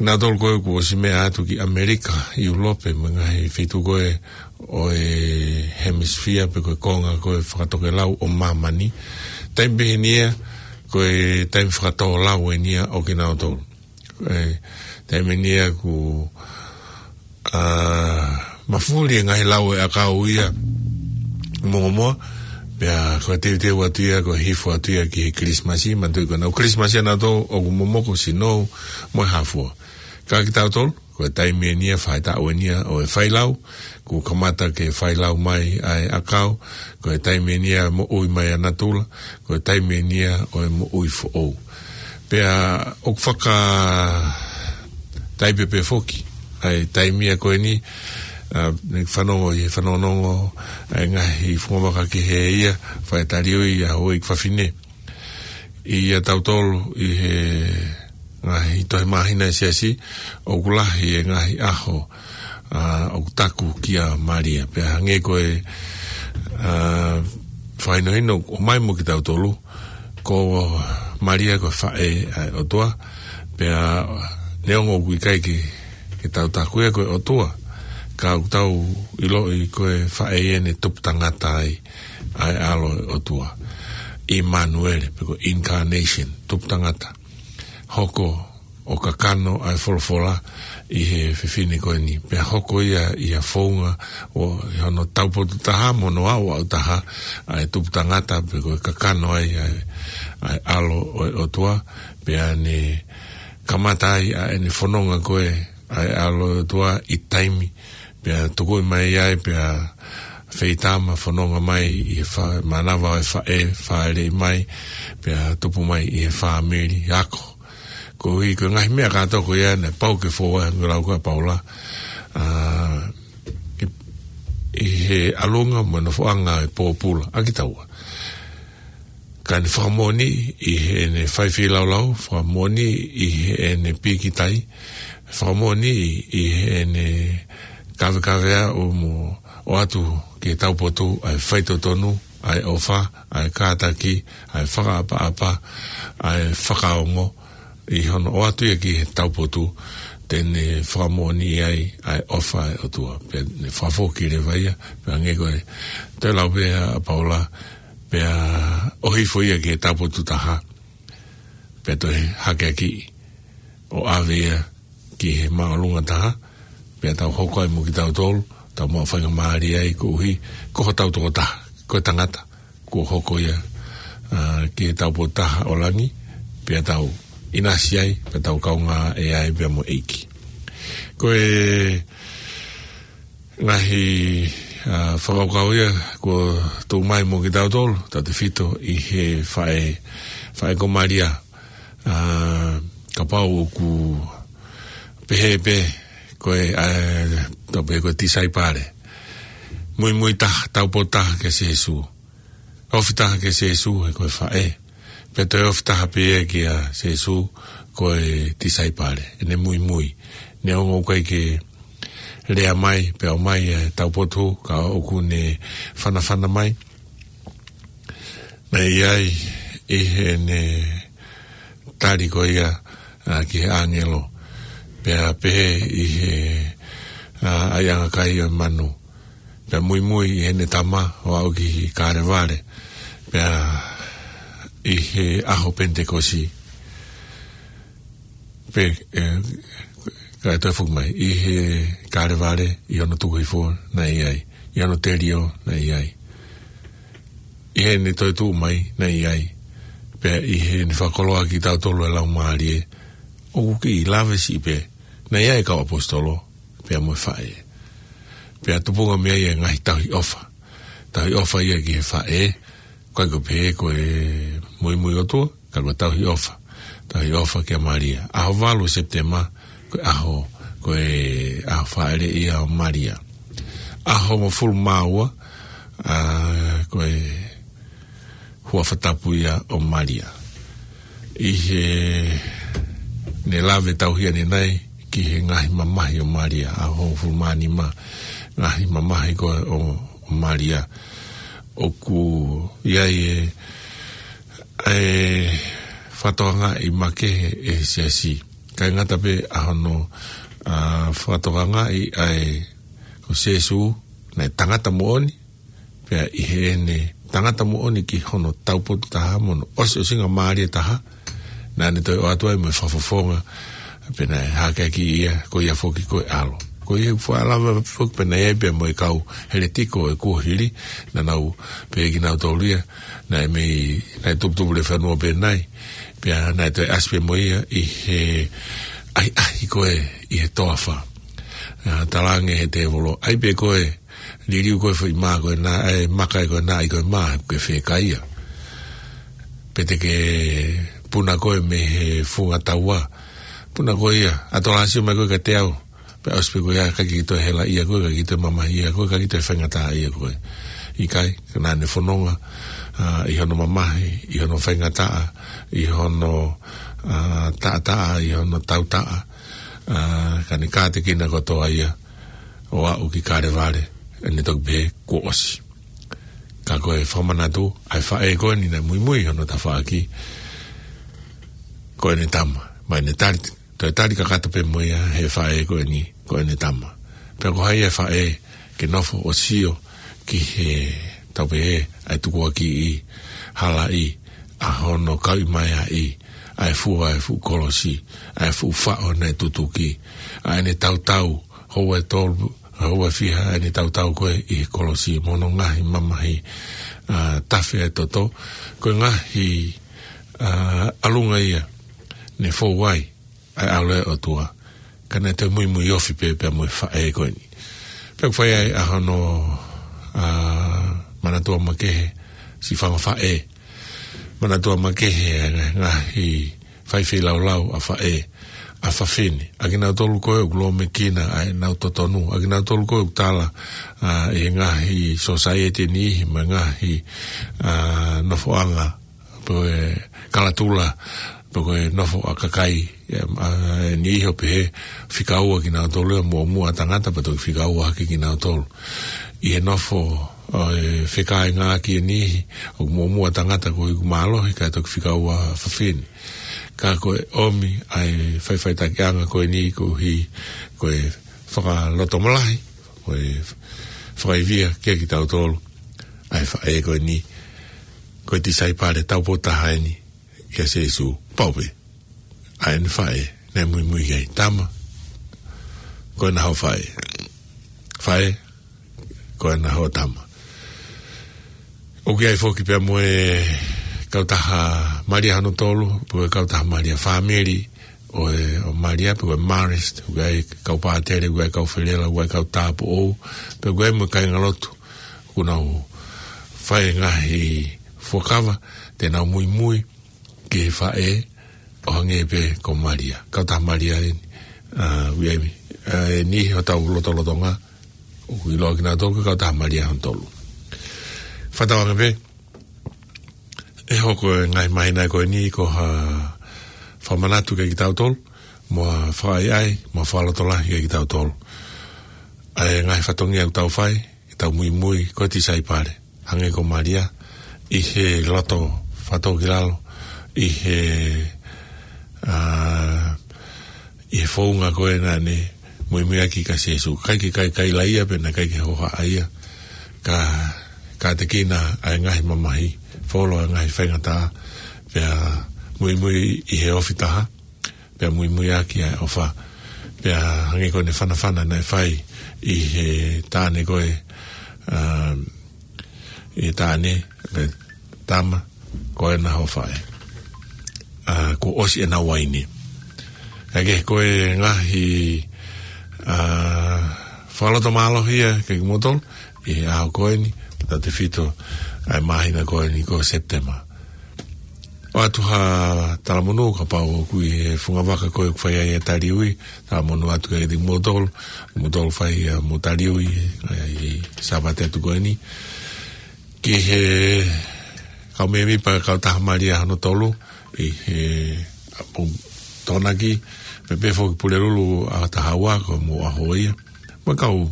nautolu ko ē kuo ʻosi meʻa atu ki ʻAmelika, ʻIulope, mo e ngaahi feituʻu ko ē ʻo e hemisifia pe ko e konga ko ē fakatokelau ʻo māmani. Taimi pē eni ia, ko e taimi fakatōlau eni ia ʻo kinautolu. Ko e taimi eni ia kuo, ʻa, mafuli e ngaahi lau ʻo e ʻakau ia, mōmoa, pea ko e teuteu atu ia, ko e hifo atu ia ki he Kilisimasi, manatuʻi ko ena ʻoku Kilisimasi ʻa nautolu ʻoku momoko, sinou mo e hā fua. Ka kitautolu, ko e taimi eni ia, faʻahitaʻu eni ia ʻo e failau, kuo kamata ke failau mai ʻa e ʻakau, ko e taimi eni ia moʻui mai ʻa natula, ko e taimi eni ia ʻo e moʻui foʻou. Pea ʻoku fakataipe pē foki ʻa e taimi ia ko eni, ʻa, ne fanongo ʻi he fanongonongo ʻa e ngaahi fungavaka kehe ia, fai taliui ʻa houʻeiki fafine. ʻIa tautolu ʻi he ngaahi tohi māhina ʻa e siasi, ʻoku lahi e ngaahi ʻaho, ʻa, ʻoku taku kia Malia. Pea hangē ko e, ʻa, fakahinohino ʻomai mo kitautolu, ko Malia ko e faʻē ʻa e ʻOtua, pea neongo ʻoku ʻikai ke, ke tau taku ia ko e ʻOtua, ka ʻoku tau ʻiloʻi ko e faʻē ia ne tupu tangata ai ʻa e ʻAlo ʻo e ʻOtua. ʻImanuele, pe ko e incarnation, tupu tangata. Hoko ʻo kakano ʻa e folofola ʻi he fefine ko eni. Pea hoko ia ʻi ha founga ʻo, ʻi hono taupotu taha mo hono aʻuaʻu taha ʻa e tupu tangata pe ko e kakano ai ʻa e, ʻa e ʻAlo ʻo e ʻOtua. Pea ne kamata ai ʻa ʻene fononga ko ē ʻa e ʻAlo ʻo e ʻOtua ʻi taimi. Pea tukuʻi mai ai, pea feitama fononga mai ʻi he fa-, mānava ʻo e faʻē, fāʻeleʻi mai, pea tupu mai ʻi he fāmili ako. Koeʻuhi ko e ngaahi meʻa kātoa ko ia naʻe pau ke fou ai, hangē ko e lau ko ē ʻa Paula, ʻa, ʻi, ʻi he ʻalunga mo e nofoʻanga ʻo e pōpula ʻa kitaua. Ka ne fakamoʻoni ʻi heʻene fai feilaulau, fakamoʻoni ʻi heʻene pīkitai, fakamoʻoni ʻi heʻene kavekavea ʻo mo ʻoatu ki he taupotu ʻa e faitotonu, ʻa e ʻofa, ʻa e kātaki, ʻa e fakaʻapaʻapa, ʻa e fakaongo, ʻi hono ʻoatu ia ki he taupotu, te ne fakamoʻoni ai ʻa e ʻofa ʻa e ʻOtua. Pea ne fakafoki leva ia, pea hangē ko e toe lau pē ʻa Paula, pea ʻohifo ia ki he taupotu taha, pea toe hakeakiʻi ʻo ʻave ia ki he māʻolunga taha, pea tau hoko ai mo kitautolu, tau maʻu faingamālie ai koeʻuhi ko hotau tokotaha, ko e tangata, kuo hoko ia, ʻa, ki he taupotu taha ʻo langi, pea tau ʻinasi ai, pea tau kaungā ʻea ai pea mo e ʻEiki. Ko e ngaahi ʻA, fakakaukau ia kuo tuʻu mai mo kitautolu, tautefito ʻi he faʻē, faʻē ko Malia. ʻA, kapau ʻoku pehē pē ko e, ʻa, tau pehē ko e tisaipale. Muimui taha, taupotu taha kia Sīsū. Ofi taha kia Sīsū he ko e faʻē. Pea toe ofi taha pē ia kia Sīsū ko e tisaipale. ʻEne muimui. Neongo ʻoku ʻikai ke lea mai, pea ʻomai e taupotu, ka ʻoku ne fanafana mai. Naʻe ʻi ai ʻi heʻene tali ko ia, ʻa, ki he ʻāngelo. Pea pehē ʻi he, ʻa, ʻaiʻanga kai ʻo e manu. Pea muimui ʻi heʻene tama ʻo aʻu ki Kalevale. Pea ʻi he ʻaho Penitekosi. Pe, ʻe, ka e toe foki mai. ʻI he Kalevale, ʻi hono tuku hifo naʻe ʻi ai. ʻI hono telio naʻe ʻi ai. ʻI heʻene toe tuʻu mai naʻe ʻi ai. Pea ʻi heʻene fakakoloa kitautolu ʻe he Laumālie. ʻOku kiʻi lave siʻi pē. Naʻe ʻi ai e kau ʻaposetolo. Pea mo e faʻē. Pea tupunga mei ai e ngaahi tauhi ʻofa. Tauhi ʻofa ia ki he faʻē. ʻIkai ko e pehē ko e muimui ʻOtua, ka ko e tauhi ʻofa. Tauhi ʻofa kia Malia. ʻAho valu Sepitema, ko e ʻaho, ko e ʻaho fāʻeleʻi ia ʻo Malia. ʻAho hongofulu mā ua, ʻa, ko e huafa tapu ia ʻo Malia. ʻI heʻene lave tauhi ʻanenai ki he ngaahi mamahi ʻo Malia, ʻaho hongofulu mā nima, ngaahi mamahi ko ē ʻo, ʻo Malia. ʻOku ʻi ai e, e fakatokangaʻi makehe ʻe he siasi. ʻIkai ngata pē ʻa hono, ʻa, fakatokangaʻi ʻa e ko Sīsū, naʻe tangata moʻoni, pea ʻi heʻene tangata moʻoni ki hono taupotu taha mo hono ʻosiʻosingamālie taha, naʻa ne toe ʻoatu ai mo e fakafofonga, pea naʻe hakeakiʻi ia, ko ia foki ko e ʻAlo. Ko ia ʻoku fakalava foki pea naʻe ʻi ai pea mo e kau heletiko ʻo e kuohili, naʻa nau pehē kinautolu ia, naʻe mei, naʻe tuputupu lefanua pē nai, pea naʻe toe ʻasi pē mo ia ʻi he ʻahiʻahi ko ē ʻi he toafa. ʻA, talaange ʻe he tēvolo, ʻai pē koe, liliu koe foʻi mā ko ena, ʻe maka ē ko ena ʻi ko e mā, ke fēkaia. Pe te ke puna koe mei he funga taua. Puna koe ia, ʻa tolasio mai koe kiate au. Pea ʻosi pē ko ia, ʻikai ke toe helaʻia koe, ʻikai ke toe mamahiʻia koe, ʻikai ke toe faingataʻaʻia koe. ʻIkai, ka naʻa ne fononga, ʻa, ʻi hono mamahi, ʻi hono faingataʻa, ʻi hono, ʻa, taʻataʻa, ʻi hono tautaʻa, ʻa, ka ne kātekina kotoa ia, ʻo aʻu ki Kalevale, ʻa ne toki pehē kuo ʻosi. Ka ko e fakamanatu, ʻa e faʻē ko eni naʻe muimui hono tafaʻaki, ko ʻene tama, mo ʻene tali, toe tali kakato pē mo ia he faʻē ko eni, ko ʻene tama. Pea ko hai e faʻē ke nofo ʻo sio ki he tau pehē, ʻa e tukuakiʻi, halaʻi, ʻa hono kauʻi mai ʻa e, ʻa e fua ʻa e fuʻu kolosi, ʻa e fuʻu faʻo naʻe tutuki, ʻa ʻene tautau, houa ʻe tolu, houa ʻe fiha ʻene tautau ko ē ʻi he kolosi mo hono ngaahi mamahi, ʻa, tafe ʻa e toto, ko e ngaahi, ʻa, ʻalunga ia, ne fou ai, ʻa e ʻAlo ʻo e ʻOtua, ka naʻe toe muimui ofi pē pea mo e faʻē ko eni. Pea ʻoku fai ai ʻa hono, ʻa, manatua makehe, siʻi fanga faʻē, manatua makehe ʻa e ngaahi faifeilaulau ʻa faʻē, ʻa fafine. ʻA kinautolu ko ē ʻoku lōmekina ʻa ʻenau totonu. ʻA kinautolu ko ē ʻoku tala, ʻa, ʻi he ngaahi sōsaieti ʻe niʻihi mo e ngaahi, ʻa, nofoʻanga, pe ko e kalatula, pe ko e nofo ʻa kakai, ʻe, ʻa, ʻe niʻihi ʻo pehē, fika ua kinautolu ia muʻomuʻa tangata, pea toki fika ua hake kinautolu. ʻI he nofo, ʻa, ʻe fekāingaʻaki ʻe niʻihi, ʻoku muʻomuʻa tangata koeʻuhi ʻoku mālohi, kae toki fika ua fafine. Ka ko e ʻomi ʻa e faʻifaʻitakiʻanga ko eni koeʻuhi ko e fakalotomalahi, ko e fakaivia kia kitautolu, ʻa e faʻē ko eni, ko e tisaipale taupotu taha eni kia Sīsū, pau pē. ʻA ʻene faʻē, naʻe muimui ai, tama, ko ena hoʻo faʻē. Faʻē, ko ena hoʻo tama. ʻOku ʻi ai foki pea mo e kautaha Malia hono tolu, pe ko e kautaha Malia, fāmili ʻo e, ʻo Malia, pe ko e Marist, ʻoku ʻi ai kau pātele, ʻoku ʻi ai kau felela, ʻoku ʻi ai kau tāupoʻou, pea ʻoku ʻi ai mo e kāingalotu, ʻoku nau fai e ngaahi fuakava, te nau muimui ki he faʻē ʻo hangē pē ko Malia. Kautaha Malia eni, ʻa, Uiemi. ʻA, eni hotau lotolotonga, ʻoku ʻiloa kinautolu ko e Kautaha Malia hono tolu. Fakatauange pē, ʻe hoko e ngaahi māhina ko eni ko ha fakamanatu kiate kitautolu, mo ha fakaʻaiʻai, mo ha fakalotolahi kiate kitautolu. ʻA e ngaahi fatongia ʻoku tau fai, ke tau muimui ko e tisaipale, hangē ko Malia, ʻi he loto fakatōkilalo, ʻi he, ʻa, ʻi he founga ko ē naʻa ne muimuiʻaki kia Sīsū. ʻIkai ke kai, kai laia pea naʻe ʻikai ke hohaʻa ia. Ka, ka tekina ʻa e ngaahi mamahi, folo ʻa e ngaahi faingataʻa, pea muimui ʻi he ofi taha, pea muimuiʻaki ʻa e ʻofa. Pea hangē ko ʻene fanafana naʻe fai ʻi he taʻane ko ē, ʻa, ʻi he taʻane, pe tama, ko ena hoʻo faʻē. ʻA, kuo ʻosi ʻena uaine. Ka ke ko e ngaahi, ʻa, fakalotomālohi ia kiate kimoutolu, ʻi he ʻaho ko eni, tautefito ʻa e māhina ko eni ko September. ʻOatu ha talamonū kapau ʻoku ʻi he fungavaka ko ē ʻoku fai ai e taliui, talamonū atu kiate kimoutolu, kimoutolu fai ʻa e mo taliui, ʻa, ʻi he Sāpate atu ko eni. Ki he kau mēmipa Kautaha Malia hono tolu, ʻi he ʻapongipongi, pea pehē foki Pulelulu ʻaho taha ua ko hoʻomou ʻaho ia. Mo e kau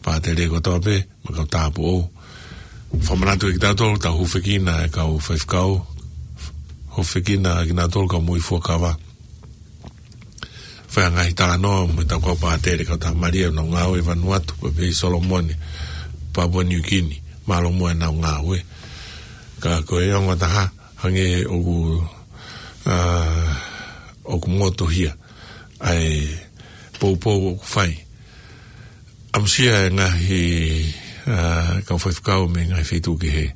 pātele kotoa pē, mo e kau tāupoʻou. Fakamanatu kiate kitautolu, tau hūfekina e kau faifekau, hūfekina kinautolu kau moʻui fuakava. Fai ha ngaahi talanoa mo ʻetau kau pātele Kautaha Malia ʻoku nau ngāue ʻi Vanuatu, pea pehē ʻi Solomone, Papua New Guinea, mālō muʻa ʻenau ngāue. Ka ko e ongo taha, hangē ʻoku, ʻa, ʻoku motuhia ʻa e poupou ʻoku fai. ʻAmusia e ngaahi, ʻa, kau faifekau mei he ngaahi feituʻu kehe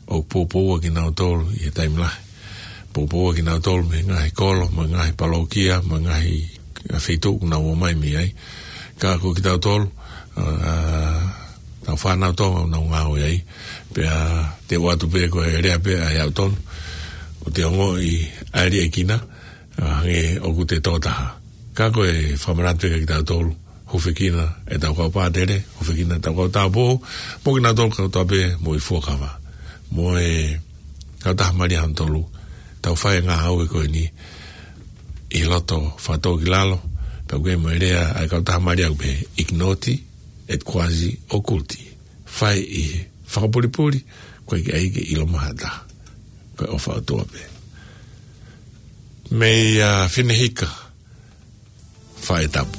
ʻoku poupoua kinautolu ʻi he taimi lahi. Poupoua kinautolu mei he ngaahi kolo, mei he ngaahi palōkia, mei he ngaahi feituʻu ʻoku nau ō mai mei ai. Ka ko kitautolu, ʻa, tau fānau Tonga ʻoku nau ngāue ai. Pea te u ʻoatu pē ko e lea pē ʻa e ʻautonu, ʻoku te ongoʻi ʻa e liʻekina, ʻa, hangē ʻoku te tō taha. Ka ko e fakamanatu pē kiate kitautolu, hūfekina ʻetau kau pātele, hūfekina ʻetau kau tāupoʻou, mo kinautolu kotoa pē moʻui fuakava. Mo e Kautaha Malia hono tolu, tau fai e ngāue ko eni ʻi loto fakatōkilalo, pea ʻoku ʻi ai mo e lea ʻa e Kautaha Malia ʻoku pehē, ignoti et quasi occulti. Fai ʻi he fakapulipuli, ʻoku ʻikai ke ʻilo mai ha taha. Ko e ʻofa ʻa e ʻOtua pē. Mei, ʻa, Fineʻeiki, Faʻē Tapu.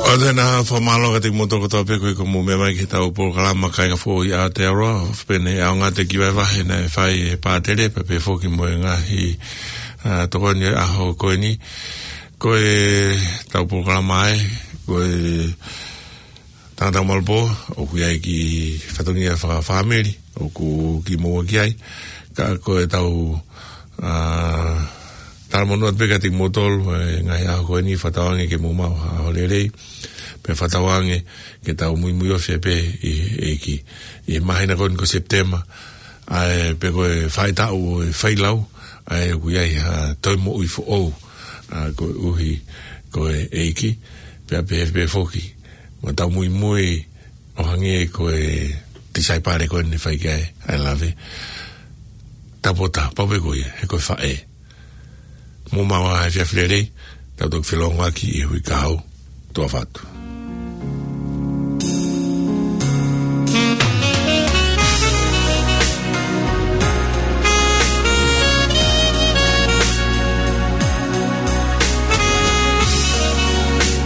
ʻOatu ʻena fakamālō kiate kimoutolu kotoa pē ko ia ʻoku mou meʻa mai ki heʻetau polokalama Kāinga Foʻou ʻi Aotearoa, ʻo pehē ni ʻa e ʻaonga ʻa e kiʻi vahevahe naʻe fai ʻe Pātele, pea pehē foki mo e ngaahi, ā, tokoni ʻo e ʻaho ko eni. Ko ʻetau polokalama ē, ko e Tangata Malu Pō, ʻoku ʻi ai e kiʻi fatongia fakafāmili ʻoku kiʻi maʻu ki ai. Ka ko ʻetau, ā, talamonū atu pē kiate kimoutolu he ngaahi ʻaho ko eni, fakatauange ke mou maʻu ha ʻaho lelei, pea fakatauange ke tau muimui ofi pē ʻi he ʻEiki ʻi he māhina ko eni ko Sepitema, ʻa ē pē ko e faʻahitaʻu ʻo e failau, ʻa ē ʻoku ʻi ai ha toe moʻui foʻou, ā, koeʻuhi ko e ʻEiki, pea pehē pē foki mo ʻetau muimui ʻo hangē ko e tisaipale ko eni naʻe fai ki ai ʻa e lave. Tapota, pau pē ko ia, he ko e faʻē. Mou maʻu ha efiafi lelei, tau toki felōngoaki ʻi he uike kahaʻu. Tuʻa ʻofa atu.